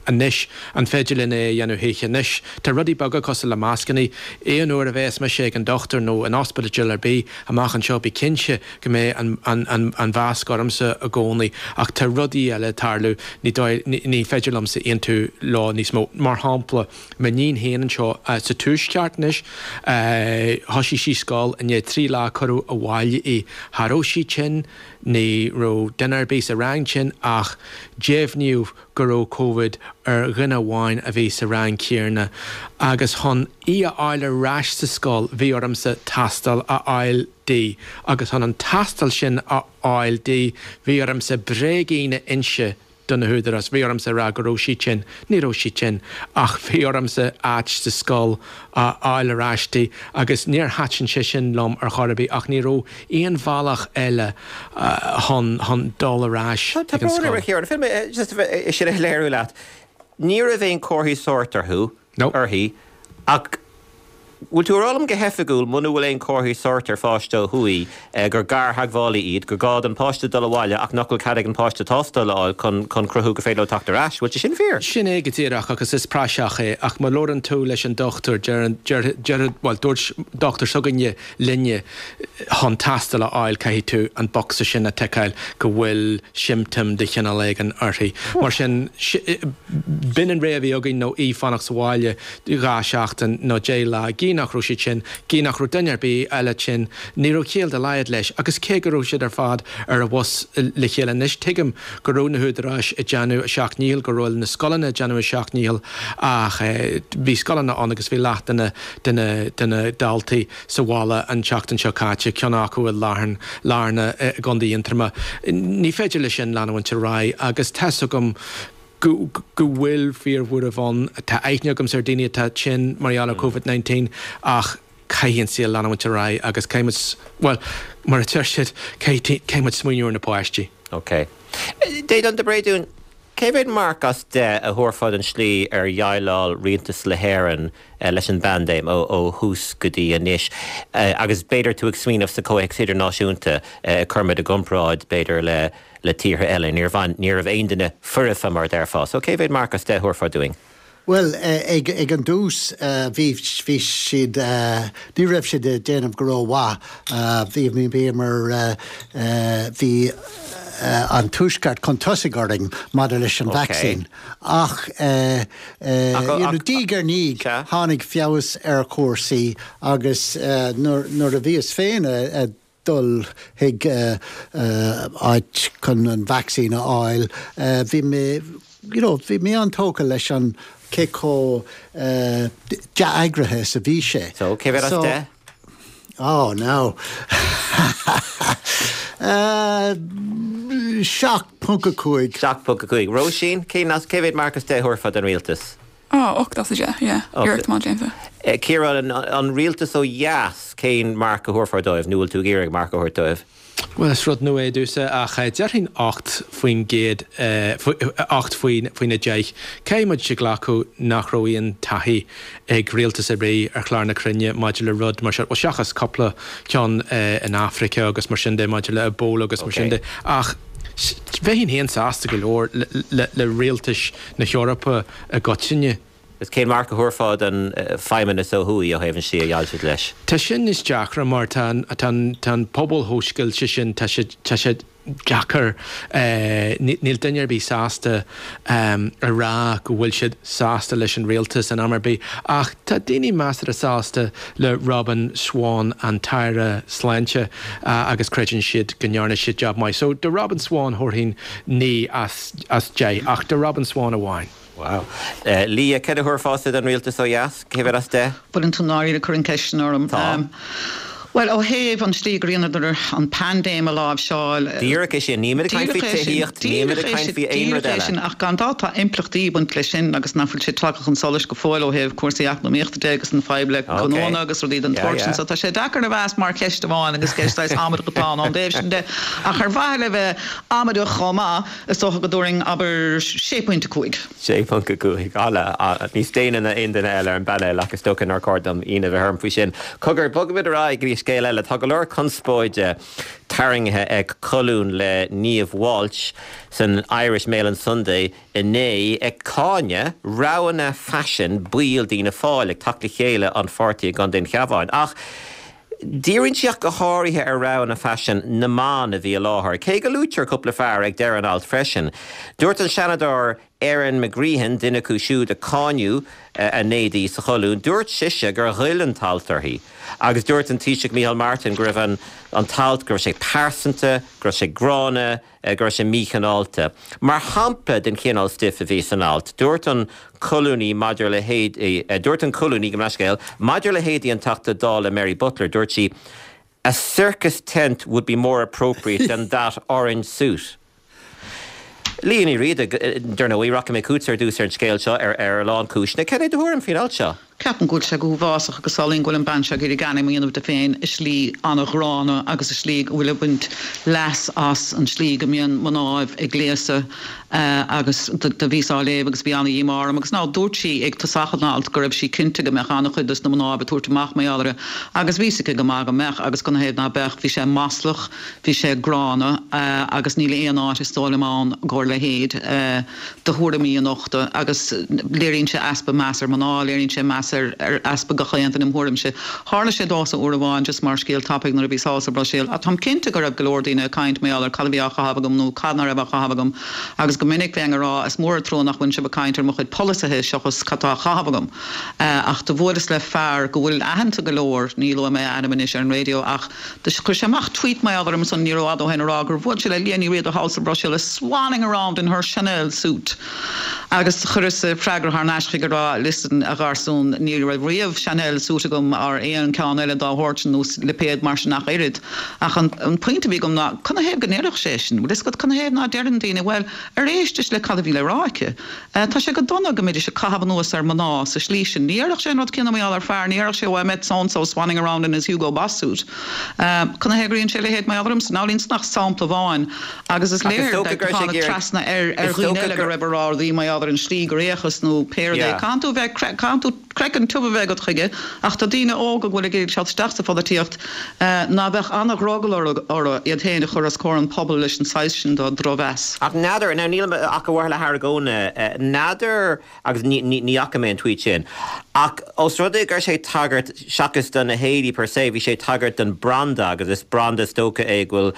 anois an féidir linn é a dhéanamh choíche anois. Tá rudaí beaga cosúil le mascanna, aon uair a bheas mise ag an dochtúir nó in ospidéal ar bith amach anseo bí cinnte go mbeidh an, an, an, an mhasc ormsa i gcónaí ach tá rudaí eile ag tarlú ní, ní, ní féidir liomsa aontú leo níos mó. Mar shampla, m'iníon féin anseo uh, sa tuaisceart anois, uh, thosaigh sí scoil i ndiaidh trí lá cuireadh abhaile í. Cha raibh sí tinn, ní raibh duine ar bith sa rang tinn ach deimhníodh go raibh Covid ar dhuine amháin a bhí sa rang céanna agus chun í a fháil ar ais sa scoil bhí ormsa tástáil a fháil di agus chun an tástáil sin a fháil di bhí ormsa bréigín a inse do na húdaráis. Bhí ormsa rá go raibh sí tinn, ní raibh sí tinn, ach bhí ormsa áit sa scoil a fháil ar ais di agus níor thaitin sé sin liom ar chor ar bith ach ní raibh aon bhealach eile chun chun dul ar ais Tá ag an scoil. Tá brón sin a léiriú leat. Ní raibh aon chomharthaí sóirt orthu uirthi ach Bhfuil tú ag rá liom go hoifigiúil muna bhfuil aon chomharthaí sóirt ar pháiste ó thuaidh gur gartheagmhálaí iad, gur gá don pháiste dul abhaile ach nach bhfuil cead ag an páiste tástáil a fháil chun chun cruthú gur féidir leo teacht ar ais. Bhfuil sé sin fíor? Sin é go díreach agus is praiseach é ach má labhrann tú leis an dochtúir deir deir deir bhuel dúirt dochtúir s'againne linne chun tástáil a fháil caithfidh tú an bocsa sin a ticeáil go bhfuil siomptóim de chineál éigin uirthi. Mar sin b'in an rogha a bhí againn nó í fanacht sa bhaile dhá sheachtain nó deich lá. Gí nach raibh siad tinn, gí nach raibh duine ar bith eile tinn, ní raibh ciall dá laghad leis agus cé go raibh siad ar fad ar an bhus le chéile anois tuigim go raibh na húdaráis ag déanamh a seacht ndícheall, go raibh na scoileanna ag déanamh a seacht ndícheall ach bhí scoileanna ann agus bhí leath de na de na de na daltaí sa bhaile an tseachtain seo caite, ceann acu i Lar Larna i gContae Aontroma. Ní féidir leis sin leanúint ar aghaidh agus tá's agam go go go bhfuil fíorbhuaireamh ann tá aithne agam ar daoine atá tinn mar gheall ar Covid nineteen ach caithfidh an saol leanúint ar aghaidh agus caithfidh muid, bhuel, mar a deir siad, caithfidh muid smaoineamh ar na páistí. Ok. Déadan de Bréadún, cé mhéad marc as deich a thabharfá don slí ar dhéileáil Rialtas na hÉireann leis an bpaindéim ó ó thús go dtí anois? Agus b'fhéidir tú ag smaoineamh sa chomhthéacs idirnáisiúnta, cuirfimid i gcomparáid b'fhéidir le le tíortha eile. Níor bhain, ní raibh aon duine foirfe mar a déarfá. So cé mhéad marc as deich a thabharfá dúinn? Bhuel, ag ag an dtús bhí bhí siad ní raibh siad ag déanamh go rómhaith. Bhí bhíomar bhí an Tuaisceart chun tosaigh orainn maidir leis an vacsaín. Ach diaidh ar ndiaidh tháinig feabhas ar chúrsaí agus nuair a bhíos féin ag dul chuig áit chun an vacsaín a fháil, bhí mé you know, bhí mé an-tógtha leis an cé chomh dea-eagraithe is a bhí sé. So, cé mhéad as deich? Oh, no. Seacht ponc a cúig. Seacht ponc a cúig. Róisín, cén as, cé mhéad marc as deich a thabharfá don rialtas? Oh, ocht as a deich, yeah. Iarracht maith déanta. Ciarán, an rialtas ó dheas, cén marc a thabharfá dóibh, nó bhfuil tú ag iarraidh marc a thabhairt dóibh? Bhuel, is rud nua é domhsa, ach déarfainn ocht faoin gcéad, ocht faoin a deich. Caithfidh muid a ghlacadh nach raibh aon taithí ag rialtas ar bith ar chlár na cruinne maidir le rud mar seo, bhuel, seachas cúpla ceann in Afraice agus mar sin de, maidir le Ebola agus mar sin de. Ach bheinn féin sásta go leor le rialtais na hEorpa i gcoitinne. Is cén marc a thabharfá don Feidhmeannas ó thuaidh ó thaobh an tslí a dhéileáil siad leis? Tá sin níos deacra mar tá an pobal chomh scoilte sin, tá sé tá sé deacair, níl duine ar bith sásta a rá go bhfuil siad sásta leis an rialtas in am ar bith. Ach tá daoine measartha sásta le Robin Swann, an tAire Sláinte, agus creideann siad go ndearna sé jab maith. So do Robin Swann thabharfainn naoi as as deich, ach do Robin Swann amháin. Wow. Leah, céard a thabharfása don rialtas ó dheas? Cé mhéad as deich? Bhfuileann tú ndáiríre ag cur an cheist sin orm? Tá. Bhuel, ó thaobh an slí gur dheineadar an paindéim a láimhseáil. Díreach é sin, nílimid ag caint faoi tithíocht, nílimid ag caint faoi aon rud eile. Ach gan dabht tá impleachtaí ag baint leis sin agus nach bhfuil sé tagtha chun solais go fóill ó thaobh cúrsaí eacnamaíochta de agus an fadhb le gnónna agus rudaí den tsórt sin. So tá sé deacair a mheas mar cheist amháin agus ceist saghas amaideach atá ann ón dtaobh sin de. Ach ar mhaithe le bheith amaideach chomh maith, is dócha go dtabharfainn, abair, sé pointe a cúig. sé ponc a cúig. Ala, níos déine ná aon duine eile ar an bpainéal ach is dócha nár chóir dom ionadh a bheith orm faoi sin. Cogar, bogfaimid ar aghaidh go dtí scéal eile. Tá go leor conspóide tarraingthe ag colún le Niamh Walsh san Irish Mail on Sunday inné ag cáineadh roghanna faisin baill d'Fhianna Fáil ag teacht le chéile an pháirtí i gContae an Chabháin. Ach díríonn sí ach go háirithe ar roghanna faisin na mban a bhí i láthair, cé go luaitear cúpla fear ag deireadh an ailt freisin. Dúirt an Seanadóir Erin McGreehan, duine acu siúd a cáineadh a n-éadaí sa cholún, dúirt sise gur ghoill an t-alt uirthi. Agus dúirt an Taoiseach Micheál Martin go raibh an an t-alt, go raibh sé pearsanta, go raibh sé gránna, go raibh sé míchineálta. Mar shampla den chineál stuif a bhí san alt, dúirt an colúnaí maidir le héadaí, dúirt an colúnaí, gabh mo leithscéal, maidir le héadaí an Teachta Dála Mary Butler, dúirt sí, A circus tent would be more appropriate than that orange suit. Liadh Ní Riada, dar ndóigh, rachaidh mé chugatsa ar dtús ar an scéal seo ar ar a lán cúiseanna. Cad é do thuairim faoin alt seo? Ceapaim go bhfuil sé go huafásach agus samhlaím go bhfuil an bean seo ag iarraidh ainm a dhéanamh di féin i slí an-ghránna agus i slí go bhfuil ag baint leas as an slí go mbíonn mnáibh ag gléasadh agus do bhíos á léamh agus bhí an-dhíomá orm agus ná dúirt sí ag tosach an ailt go raibh sí cinnte go mbeadh an-chuid dos na mnáibh ag tabhairt amach mar gheall air agus bhí a fhios aici go maith go mbeadh agus canathaobh ná beadh bhí sé maslach Bhí sé gránna agus níl aon áit is dóigh liom ann i gcomhair a leithéid de thuairimí a nochtadh agus léiríonn sé easpa meas ar mná, léiríonn sé meas ar easpa gach aon duine im thuairimse. Tharla sé domhsa uair amháin just mar scéal tapaidh nuair a bhíos thall sa Bhruiséil ach táim cinnte go raibh go leor daoine ag caint mar gheall ar cad a bhí á chaitheamh agam nó cad ná raibh á chaitheamh agam agus go minic bheinn ag rá is mór an trua nach bhfuil sibh ag caint ar mo chuid polasaithe seachas cad tá á chaitheamh agam. Ach do bhuaileas le fear go bhfuil aitheanta go leor, ní luafaidh mé a ainm anois ar an raidió ach, Do chuir sé amach tweet mar gheall orm ansan ní rófhada ó shin ag rá gur bhuail sé le Liadh Ní Riada thall sa Bhruiséil swanning around in her Chanel suit agus chuireas freagra thar n-ais chuige ag rá listen a gharsún ní raibh riamh Chanel suit agam ar aon ceann eile dá shórt sin nó lipéad mar sin ach oiread. Ach an an pointe a bhí agam ná canathaobh go ndéarfadh sé sin? Bhfuil fhios agat canathaobh ná deireann daoine bhuel ar éistis le cad a bhí le rá aici? Tá sé go dona go mbeidís ag caitheamh anuas ar mná sa slí sin. Ní dhéarfadh sé an rud céanna mar gheall ar fear, ní dhéarfadh sé oh I met so and so swanning around in his Hugo Boss suit. Canathaobh gur dhein sé a leithéid mar gheall ormsa? Now níl ansin ach sampla amháin agus is léir gur tháinig trasna ar ar dhaoine eile go raibh a rá rudaí mar gheall ar an slí gur fhéachas nó pé rud é. Caitheann tú bheith caitheann tú craiceann tiubh a bheith agat chuige ach tá daoine óga go bhfuil ag iarraidh teacht isteach sa pholaitíocht ná beadh an-dhrogall orthu iad féin a chur os comhair an phobail leis an saghas sin de dhrochmheas. Ach n'fheadar, now nílim ach ar mhaithe le hargóint, n'fheadar, agus ní ní fhaca mé an tweet sin, ach os rud é go raibh sé ag tagairt seachas do na héadaí per se, bhí sé ag tagairt don branda agus is branda is dócha é go bhfuil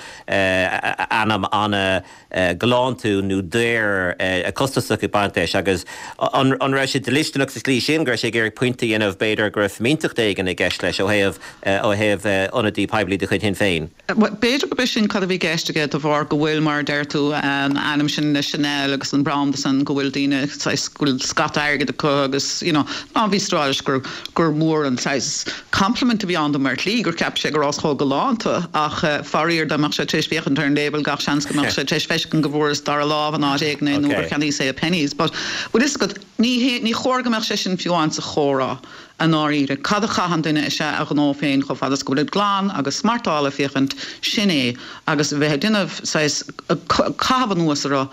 ainm ana galánta nó daor costasach ag baint leis agus an an raibh sé dlisteanach sa slí sin go raibh sé ag iarraidh pointe a dhéanamh b'fhéidir go raibh fimínteacht éigin i gceist leis ó thaobh ó thaobh ionadaí poiblí de chuid Shinn Féin. B'fhéidir gurb é sin cad a bhí i gceist aige de bharr go bhfuil mar a deir tú an ainm sin le Chanel agus an branda san go bhfuil daoine saghas go bhfuil scata airgid acu agus you know ná bhí stráis gur gur mór an saghas compliment a bhí ann dom ar shlí gur cheap sé go rabhas chomh galánta ach faraor dá mbeadh sé tar éis féachaint ar an label gach seans go mbeadh sé tar éis feiscint go bhfuaireas dara lámh in áit éigin é nó gur cheannaíos é i Penneys. But bhfuil fhios agat ní hé ní chóir go mbeadh sé sin fiú amháin sa chomhrá i ndáiríre. Cad a chaitheann duine is ea a ghnó féin chomh fada is go bhfuil glan agus smartáilte féachaint sin é agus bheith ag déanamh saghas caitheamh anuas orthu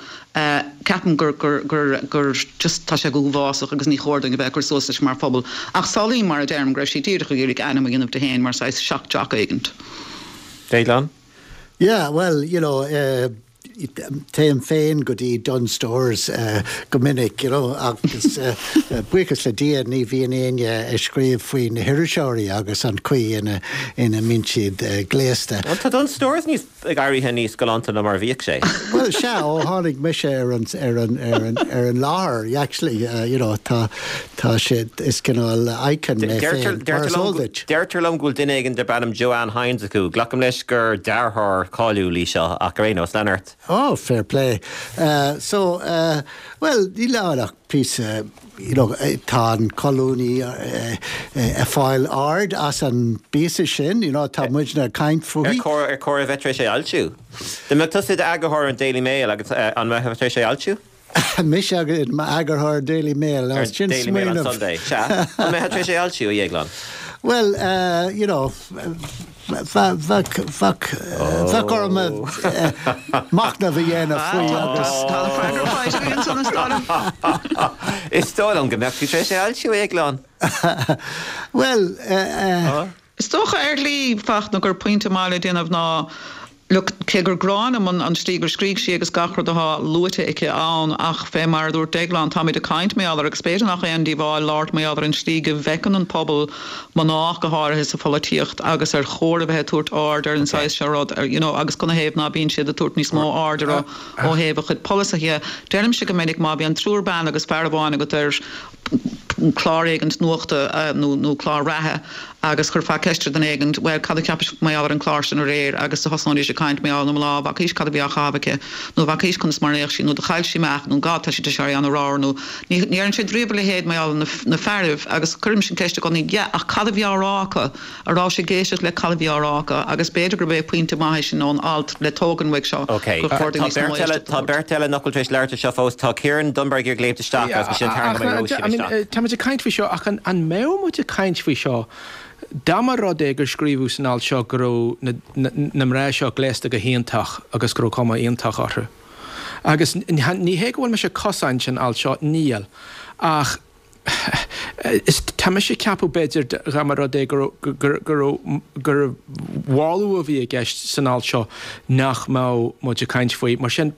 ceapaim gur gur gur gur just tá sé go huafásach agus ní chóir dúinn a bheith ag cur suas leis mar phobal. Ach samhlaím mar a deirim go raibh sí díreach ag iarraidh ainm a dhéanamh di féin mar saghas shock jock éigint. Déaglán? Yeah, well, you know, uh, téim féin go dtí Dunnes Stores uh, go minic, you know, agus uh, buíochas le Dia ní bhíonn éinne ag scríobh faoi na hiriseoirí agus an chaoi ina ina mbíonn siad uh, gléasta. Well, tá Dunnes Stores níos ag éirí níos galánta ná mar bhíodh sé. Well sea ó tháinig mise ar an ar an ar an ar an láthair actually uh, you know, tá tá sé is cineál icon mé féin, mar is eol duit. Deirtear liom go bhfuil duine éigin darb ainm Joanne Hynes acu. Glacaim leis gur deartháir cáiliúil í seo ach ar aon nós lean ort. Oh, fair play. Uh, so, uh, well, ní ach píosa you know, tá an colúnaí uh, uh, ag fáil aird as an bpíosa sin, you know, tá muidne ag caint fúithi. Ar chóir ar chóir a bheith tar éis é a fhoilsiú. Dá mbeadh tusa i d'eagarthóir an Daily Mail agus uh, an mbeadh tar éis é a fhoilsiú? Mise i m'eagarthóir Daily Mail Ar sin Daily Mail on smaoineamh. Sunday. Sea, an mbeadh tar éis é a fhoilsiú a Dhéagláin? Well, uh, you know, bheadh orm machnamh a dhéanamh faoi agus Tá an freagra faighte againn san is dóigh liom. Is dóigh liom go mbeadh tú tar éis é a fhoilsiú a Dhéagláin. Well, uh, uh, Is dócha ar shlí Fachtna gur pointe maith le déanamh ná Look, cé gur grá liom an an slí gur scrígh sí agus gach rud atá luaite aici ann ach fé mar a dúirt Déaglán táimid ag caint mar gheall air agus b'fhéidir nach aon díobháil labhairt mar gheall ar an slí go bhfeiceann an pobal mná go háirithe sa pholaitíocht agus ar chóir a bheith ag tabhairt aird ar an saghas seo rud ar, you know, agus canathaobh ná bíonn siad ag tabhairt níos mó aird ar ó thaobh a chuid polasaithe. Deirimse go minic má bhíonn triúr ban agus fear amháin agat ar clár éigint nuachta uh, nó nó clár reatha agus chuirfeá ceist ar dhuine éigint well cad a cheapais mar gheall ar an chlár sin aréir agus do thosnóidís ag caint mar gheall ar na mná bhfacaís cad a bhí á chaitheamh aici nó bhfacaís conas mar a d'fhéach sí nó do chaill sí amach nó gá tá sí sé an rá nó ní ní an sé dríomh le héad mar na, na fearaibh agus cuirim sin ceist i gcónaí yeah, ach cad a bhí á rá acu a rá sé géiseach le cad a bhí á rá acu agus b'fhéidir gurb é pointe maith sin ón alt le tógan uaidh seo Ok, gur chóir Tá níos mó beirt eile- éisteacht a tá thabhairt. beirt eile nach bhfuil tar éis labhairt seo fós tá Ciarán Dunbar ag léimt isteach agus sin tar I mean, Tá muid ag caint faoi seo ach an, an mbeadh muid ag caint faoi seo dá mba rud é gur scríobhadh san alt seo go raibh na, na, na mná seo gléasta go hiontach agus go raibh cuma iontach orthu. Agus n- ní hé go bhfuil mise ag cosaint an alt seo níl ach is tá mise ag ceapadh b'fhéidir dá mba rud é gur gur gur mhaslú a bhí i gceist san alt seo nach mbeadh muid ag caint faoi mar sin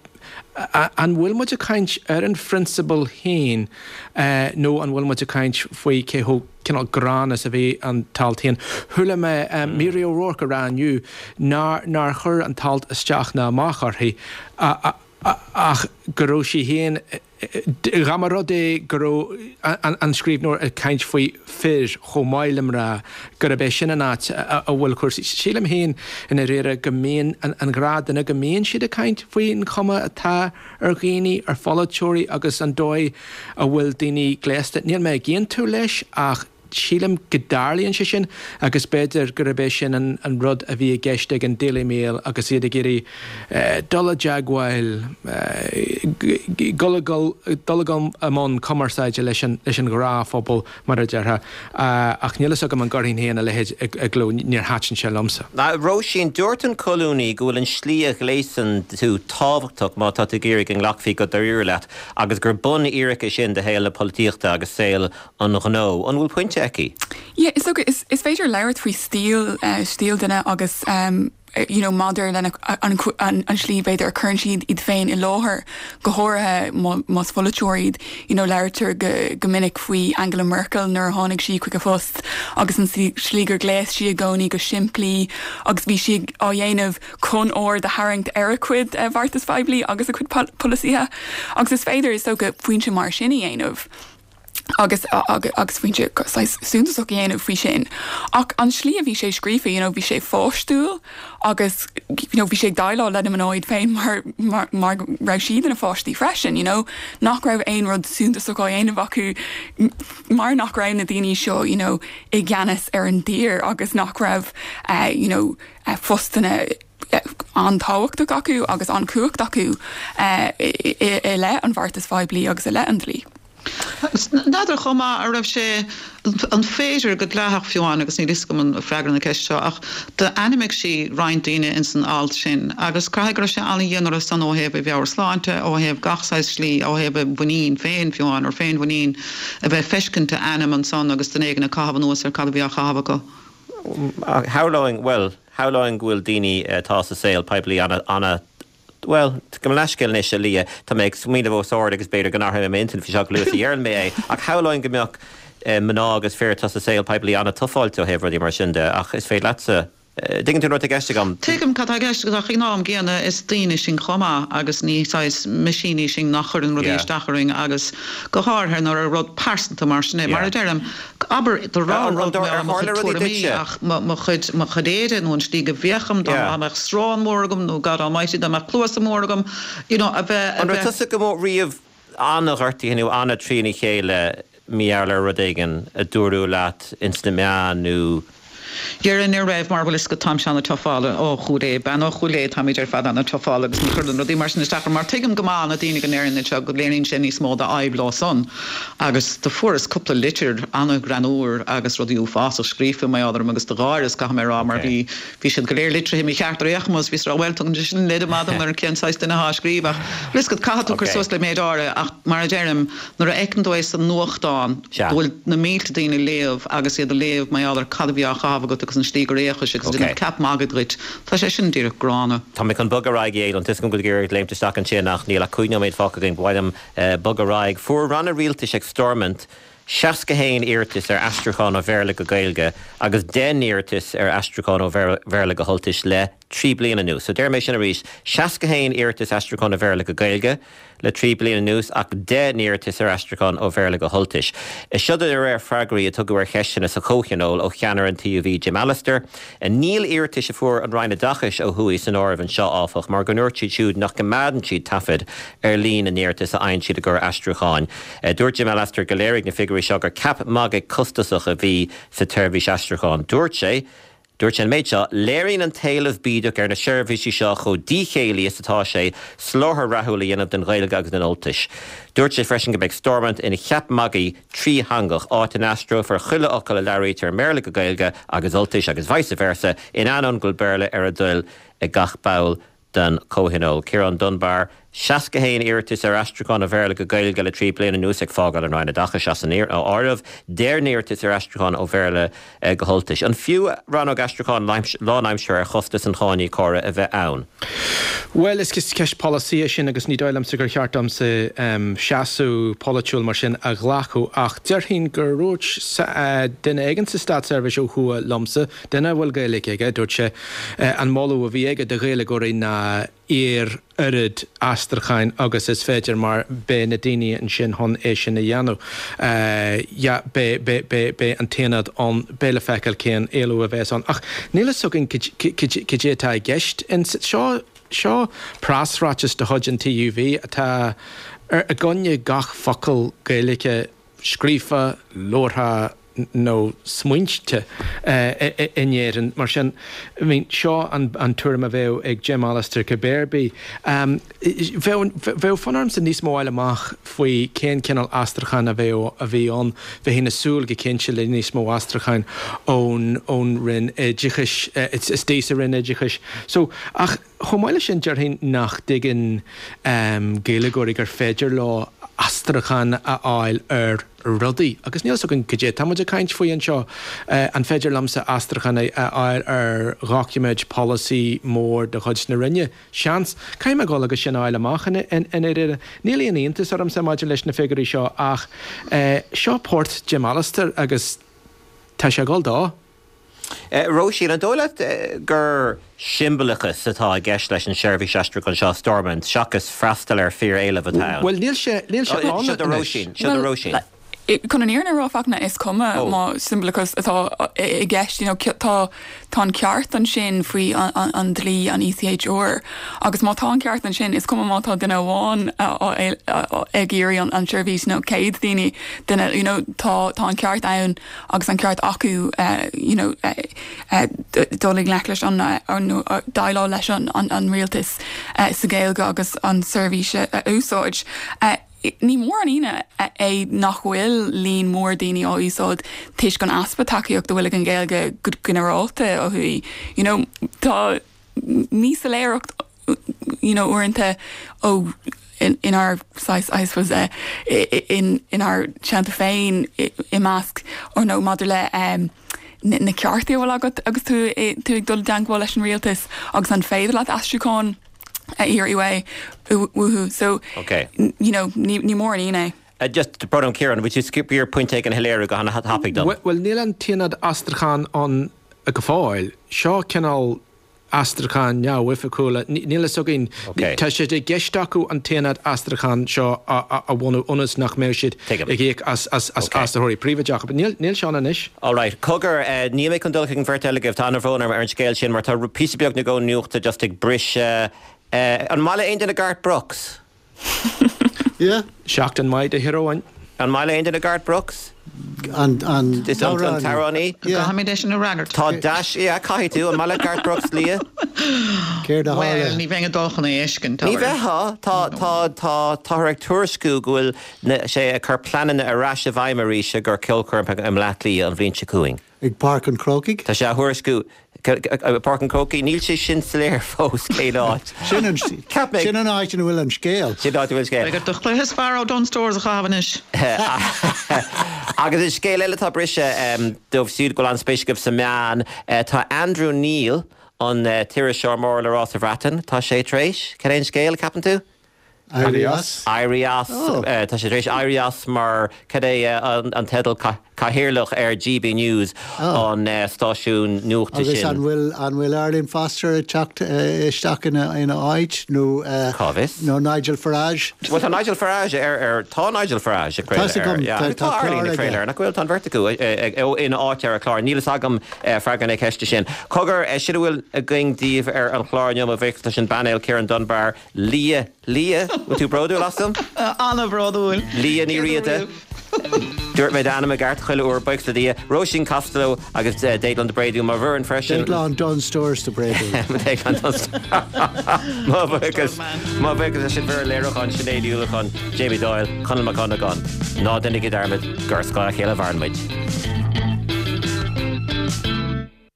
a- an bhfuil muid ag caint ar an phrionsabal féin eh, nó an bhfuil muid ag caint faoi cé chomh cineál gránna is a bhí an t-alt féin. Chuala mé um, Mary O'Rourke a rá inniu nár nár chuir an t-alt isteach ná amach uirthi a- a- a- ach go raibh sí féin dá mba rud é go raibh an, an scríbhneoir ag caint faoi fir chomh maith le mná gurb é sin an áit a a bhfuil cúrsaí. Sílim féin i ndáiríre go mbíonn an, an gnáthdhuine go mbíonn siad ag caint faoin chuma atá ar dhaoine ar pholaiteoirí agus an dóigh a bhfuil daoine gléasta. Níl mé ag aontú leis ach Sílim go dtarlaíonn sé sin agus b'fhéidir gurb é sin an an rud a bhí i gceist ag an Daily Mail agus iad ag iarraidh dul i dteagmháil, dul dul i mbun cumarsáide leis an leis an ghnáthphobal mar a déarfá. Ach níl fhios agam an gcuirfinn féin a leithéid i gcló, níor thaitin sé liomsa. Róisín, dúirt an colúnaí go bhfuil an slí a ghléasann tú tábhachtach má tá tú ag iarraidh go nglacfaí go dáiríre leat agus gur bunfhíric é sin do shaol na polaitíochta agus saol an ghnó. An bhfuil pointe aici? Yeah, is dócha, is, is féidir labhairt faoi stíl, eh, stíl duine agus um, you know, maidir lena an, an, an slí b'fhéidir a chuireann siad iad féin i láthair, go háirithe más polaiteoir iad, you know, labhraítear go, go minic faoi Angela Merkel nuair a tháinig sí chuig a phost agus an slí gur ghléas sí i gcónaí go simplí agus bhí sí á dhéanamh chun aird a tharraingt ar a cuid eh, bheartais phoiblí agus a cuid polasaithe. Agus is féidir is dócha pointe mar sin a dhéanamh. agus agus pointe suntasach a dhéanamh faoi sin. Ach an slí a bhí sé scríofa, you know, bhí sé pháistiúil agus you know, bhí sé ag déileáil le mná iad féin mar, mar, mar raibh siad ina pháistí freisin, you know, nach raibh aon rud suntasach á dhéanamh acu mar nach raibh na daoine seo you know, i gceannas ar an dtír agus nach raibh uh, you know, uh, postanna an-tábhachtach acu agus an chumhacht acu uh, i, i, i leith an bheartais phoiblí agus i leith an dlí. N'fheadar chomh maith a raibh sé an féidir go dleathach fiú amháin agus níl fhios agam an freagra na ceist seo ach d'ainmnigh sí roinnt daoine ins an alt sin agus caithfidh go raibh sé an-dhian orthu san ó thaobh a mheabhairshláinte, ó thaobh gach saghas slí, ó thaobh a mhuinín féin fiú amháin, or féinmhuinín a bheith feiscint a ainm ansan agus duine éigin ag caitheamh anuas ar cad a bhí á chaitheamh acu. Shamhlóinn, bhuel, shamhlóinn go bhfuil daoine atá sa saol poiblí ana, ana Bhuel, gabh mo leithscéal anois, a Lia, tá mé ag smaoineamh os ard agus b'fhéidir go n-athróidh mé m'intinn faoi seo go luath is a dheireann mé é, ach shamhlóinn go mbeadh mná agus fir atá sa saol poiblí an-tufáilte ó thaobh rudaí mar sin de, ach is féidir leatsa, dtuigeann tú an rud atá i gceist agam? Tuigim cad tá i gceist agat ach ag an am gcéanna is daoine sinn chomh maith agus ní saghas meaisíní sinn nach chuireann rudaí isteach orainn agus go háirithe nuair ar rud pearsanta mar sin é. Mar a deirim, abair do rá An rud rud mar ar mo tharla chuid rudaí tuairimí duitse? ach mo chuid mo chuid éide nó an slí go bhféachaim dá Yeah. mbeadh srón mór agam nó God almighty dá mbeadh cluasa mór agam you know a bheith a An raibh bheith tusa go mór riamh an-ghortaithe nó an-trína chéile mar gheall ar rud éigin a dúradh leat ins na meáin nó Déarfainn ní raibh mar bhfuil fhios agat táimse an-tufála ó Chúil Aodha, bean ó Chúil Aodha, táimid ar fad an-tufála agus ní chuireann rudaí mar sin isteach orm mar tuigim go maith na daoine go ndeireann seo go léiríonn sé níos mó d'fhadhb leo san agus do fuaireas cúpla litir an-ghreannmhar agus rudaí uafásach scríofa mar gheall orm agus do gháireas caithfidh mé a rá mar Okay. bhí bhí siad go léir litrithe mícheart ar aon chuma bhíos ag rá bhuel tugann sé sin leid maith dom ar cén saghas duine atá á scríobh ach bhfuil fhios agat caithfidh tú cur Okay. suas le méid áirithe ach mar a deirim nuair a fheiceann tú é sa nuachtán Sea. go bhfuil na mílte daoine ag léamh agus iad ag léamh mar gheall ar cad a bhí á chaitheamh agat agus an slí gur fhéachais agus Okay. déanamh ceap magaidh duit. Tá sé sin díreach gránna. Tá mé chun bogadh ar aghaidh an tuiscint go gur léimt isteach ansin ach níl ach cúig nóiméad fágtha againn ba mhaith liom bogadh ar aghaidh. Fuair ranna rialtais ag Stormont seasca haon iarratas ar aistriúchán ó Bhéarla go Gaeilge agus deich n-iarratas ar aistriúchán ó Bhéarla go hUltais le trí bliana anuas. So deir mé sin arís seasca haon iarratas aistriúchán ó Bhéarla go Gaeilge le trí bliana anuas ach deich n-iarratas ar aistriúchán ó Bhéarla go hUltais. Is seo de réir freagraí a tugadh ar cheisteanna sa Chomhthionól ó cheannaire an TUV Jim Allister, níl iarratais a fuair an Roinn Oideachais ó thuaidh san áireamh anseo áfach, mar go ndúirt siad siúd nach gcoimeádann siad taifead ar líon na n-iarratas a fhaigheann siad i gcomhair aistriúcháin. Dúirt Jim Allister go léirigh na figiúirí seo gur ceap magaidh costasach a bhí sa tseirbhís aistriúcháin. Dúirt sé, Dúirt sé an méid seo, léiríonn an t-éileamh bídeach ar na seirbhísí seo chomh díchéillí is atá sé soláthar rathúil a dhéanamh den Ghaeilge agus den Ultais. Dúirt sé freisin go mbeidh Stormont ina cheap magaidh trítheangach áit a n-aistreofar chuile fhocal a labhraítear i mBéarla go Gaeilge agus Ultais agus vice versa in ainneoin go bhfuil Béarla ar a dtoil ag gach ball den Chomhthionól. Ciarán Dunbar, seasca haon iarratas ar aistriúchán ó Bhéarla go Gaeilge le trí bliana anuas ag fágáil an Roinn Oideachais as an áireamh, deich n-iarratas ar aistriúchán ó Bhéarla go hUltais. An fiú rannóg aistriúcháin lánaimseartha ar chostas an cháiníocóra a bheith ann? Well is ceist polasaí é sin agus ní dóigh liomsa gur cheart domsa um, seasamh polaitiúil mar sin a ghlacadh ach déarfainn gur dhúirt uh, duine éigin sa státseirbhís ó thuaidh liomsa, duine a bhfuil Gaeilge aige, dúirt sé uh, an moladh a bhí aige do Ghaeilgeoirí ná iarr oiread aistriúcháin agus is féidir mar beidh na daoine ansin chun é sin a dhéanamh. Uh, ja, beidh an t-aonad ann beidh le feiceáil cén éileamh a bheas ann. Ach níl a fhios againn cad é atá i gceist in seo seo preasráiteas de chuid an TUV atá ar i gcoinne gach focal Gaeilge scríofa, labhartha nó smaointe in Éirinn. Mar sin, I mean, seo an, an tuairim a bheadh ag Jim Allister cibé ar bith. Um, bheadh, bheadh fonn ormsa níos mó a fháil amach faoi cén cineál aistriúcháin a bheadh a bhí ann. Bheinn ag súil go cinnte le níos mó aistriúcháin ón, ón Roinn Oideachais, istigh sa Roinn Oideachais. So, ach chomh maith leis sin déarfainn nach dtuigeann um, Gaeilgeoirí gur féidir leo aistriúchán a fháil ar rudaí. Agus níl a fhios againn cad é tá muid ag caint faoi anseo. An féidir liomsa aistriúchán a fháil ar dhoiciméid polasaí mór de chuid na Roinne? Seans. Caithfidh mé dul agus sin a fháil amach i ndáiríre. Níl aon iontas ormsa maidir leis na figiúirí seo ach seo port Jim Allister agus tá sé ag dul dó. Róisín, an dóigh leat gur siombalachas atá i gceist leis an seirbhís aistriúcháin seo Stormont seachas freastal ar fíor-éileamh atá ann? Bhuel, níl sé, níl sé ann Seo do Róisín, seo do Róisín. Chun an fhírinne a rá, Fachtna, is cuma má siombalachas atá i gceist, you know, tá tá an ceart ansin faoi an dlí, an ECHR, agus má tá an ceart ansin, is cuma má tá duine amháin ag iarraidh an tseirbhís nó céad daoine, duine, you know, tá tá an ceart ann agus an ceart acu, you know, dul i ngleic leis an, nó déileáil leis an an rialtas sa Ghaeilge agus an tseirbhís a úsáid. Ní mór an ionadh é nach bhfuil líon mór daoine á úsáid toisc an easpa tacaíocht a bhfuil ag an Ghaeilge go ginearálta ó thuaidh. You know, tá míshoiléireacht you know, uaireanta ó inár saghas, I suppose, in inár dteannta féin i measc or nó maidir le um, na cearta a bhfuil agat agus tú tú ag dul i dteagmháil leis an rialtas agus an féidir leat aistriúchán a iarraidh uathu. So, okay. you know, ní, ní mór an ionadh é. Uh, just to put on Ciarán, would you skip your point ag an shoiléiriú go han-tapaidh dom? Well, níl an t-aonad aistriúcháin ann go fóill. Seo cineál aistriúchán neamhoifigiúla. Níl a fhios againn. Tá sé i gceist acu an t-aonad aistriúcháin seo a bhunú ionas nach mbeidh siad ag íoc as aistritheoirí príobháideacha. But níl sé ann anois. All right. Cogar, níl mé chun dul chuig an bheirt eile agaibh, tá an-bhrón orm ar an scéal sin mar tá píosa beag nó dhó nuachta just ag briseadh. An maith le aon duine Garth Brooks? Yeah. Seachtain mhaith do thír amháin. An maith le aon duine Garth Brooks? An an t-amhránaí? Caithfidh mé é sin a fhreagairt. Tá dash, yeah, caithfidh tú. An maith le Garth Brooks, Lia? Céard a tharla? Bhuel, ní bheinn ag dul chun é a fheiscint. Ní bheifeá. Tá tá tá táthar ag tuairisciú go bhfuil sé ag cur pleananna ar ais i bhfeidhm arís i gcomhair ceolchoirm i mBleá Cliath an bhliain seo chugainn. Ag Páirc an Chrócaigh? Tá sé á thuairisciú Páirc an Chrócaigh, níl sé sin soiléir fós cén áit. Sin an sin an áit ina bhfuil an scéal. Sin áit a bhfuil scéal. Beidh ort do chluiche is fearr ó Dunnes Stores a chaitheamh anois. Agus an scéal eile atá briseadh dóibh siúd go bhfuil an-spéis agaibh sa meán, tá Andrew Neil, an t-iriseoir mór le rá sa Bhreatain, tá sé tar éis, cad é an scéal, ceapann tú? Éirí as. Éirí as. Tá sé tar éis éirí as mar, cad é an teideal, cathaoirleach ar GB News, an stáisiún nuachta sin. Agus sin. an bhfuil, an bhfuil Arlene Foster ag teacht isteach ina, ina áit nó, Cá bhfios? nó Nigel Farage? Bhuel tá Nigel Farage ar, ar, tá Nigel Farage ag craoladh ar, yeah, agus tá Arlene ag craoladh air, nach bhfuil? Tá an bheirt acu ina áit ar an chlár. Níl fhios agam freagra na ceiste sin. Cogar, sin a bhfuil againn daoibh ar an chlár inniu, mo bhuíochas leis an bpainéal, Ciarán Dunbar, Lia, Lia, bhfuil tú bródúil asam? An-bhródúil. Lia Ní Riada. Dúirt mé d'ainm i gceart chuile uair, buíochas le Dia. Róisín Costello agus Déaglán de Bréadún, mo bhfoireann freisin. Déaglán Dunnes Stores de Bréadún. Déaglán Dunnes Mo bhuíochas, mo bhuíochas leis an bhfoireann léiriúcháin, Sinéad Uallacháin, Jamie Doyle, Conall Mac Dhonnagáin. Ná déanaigí dearmad gur ar scáth a chéile a mhaireann muid.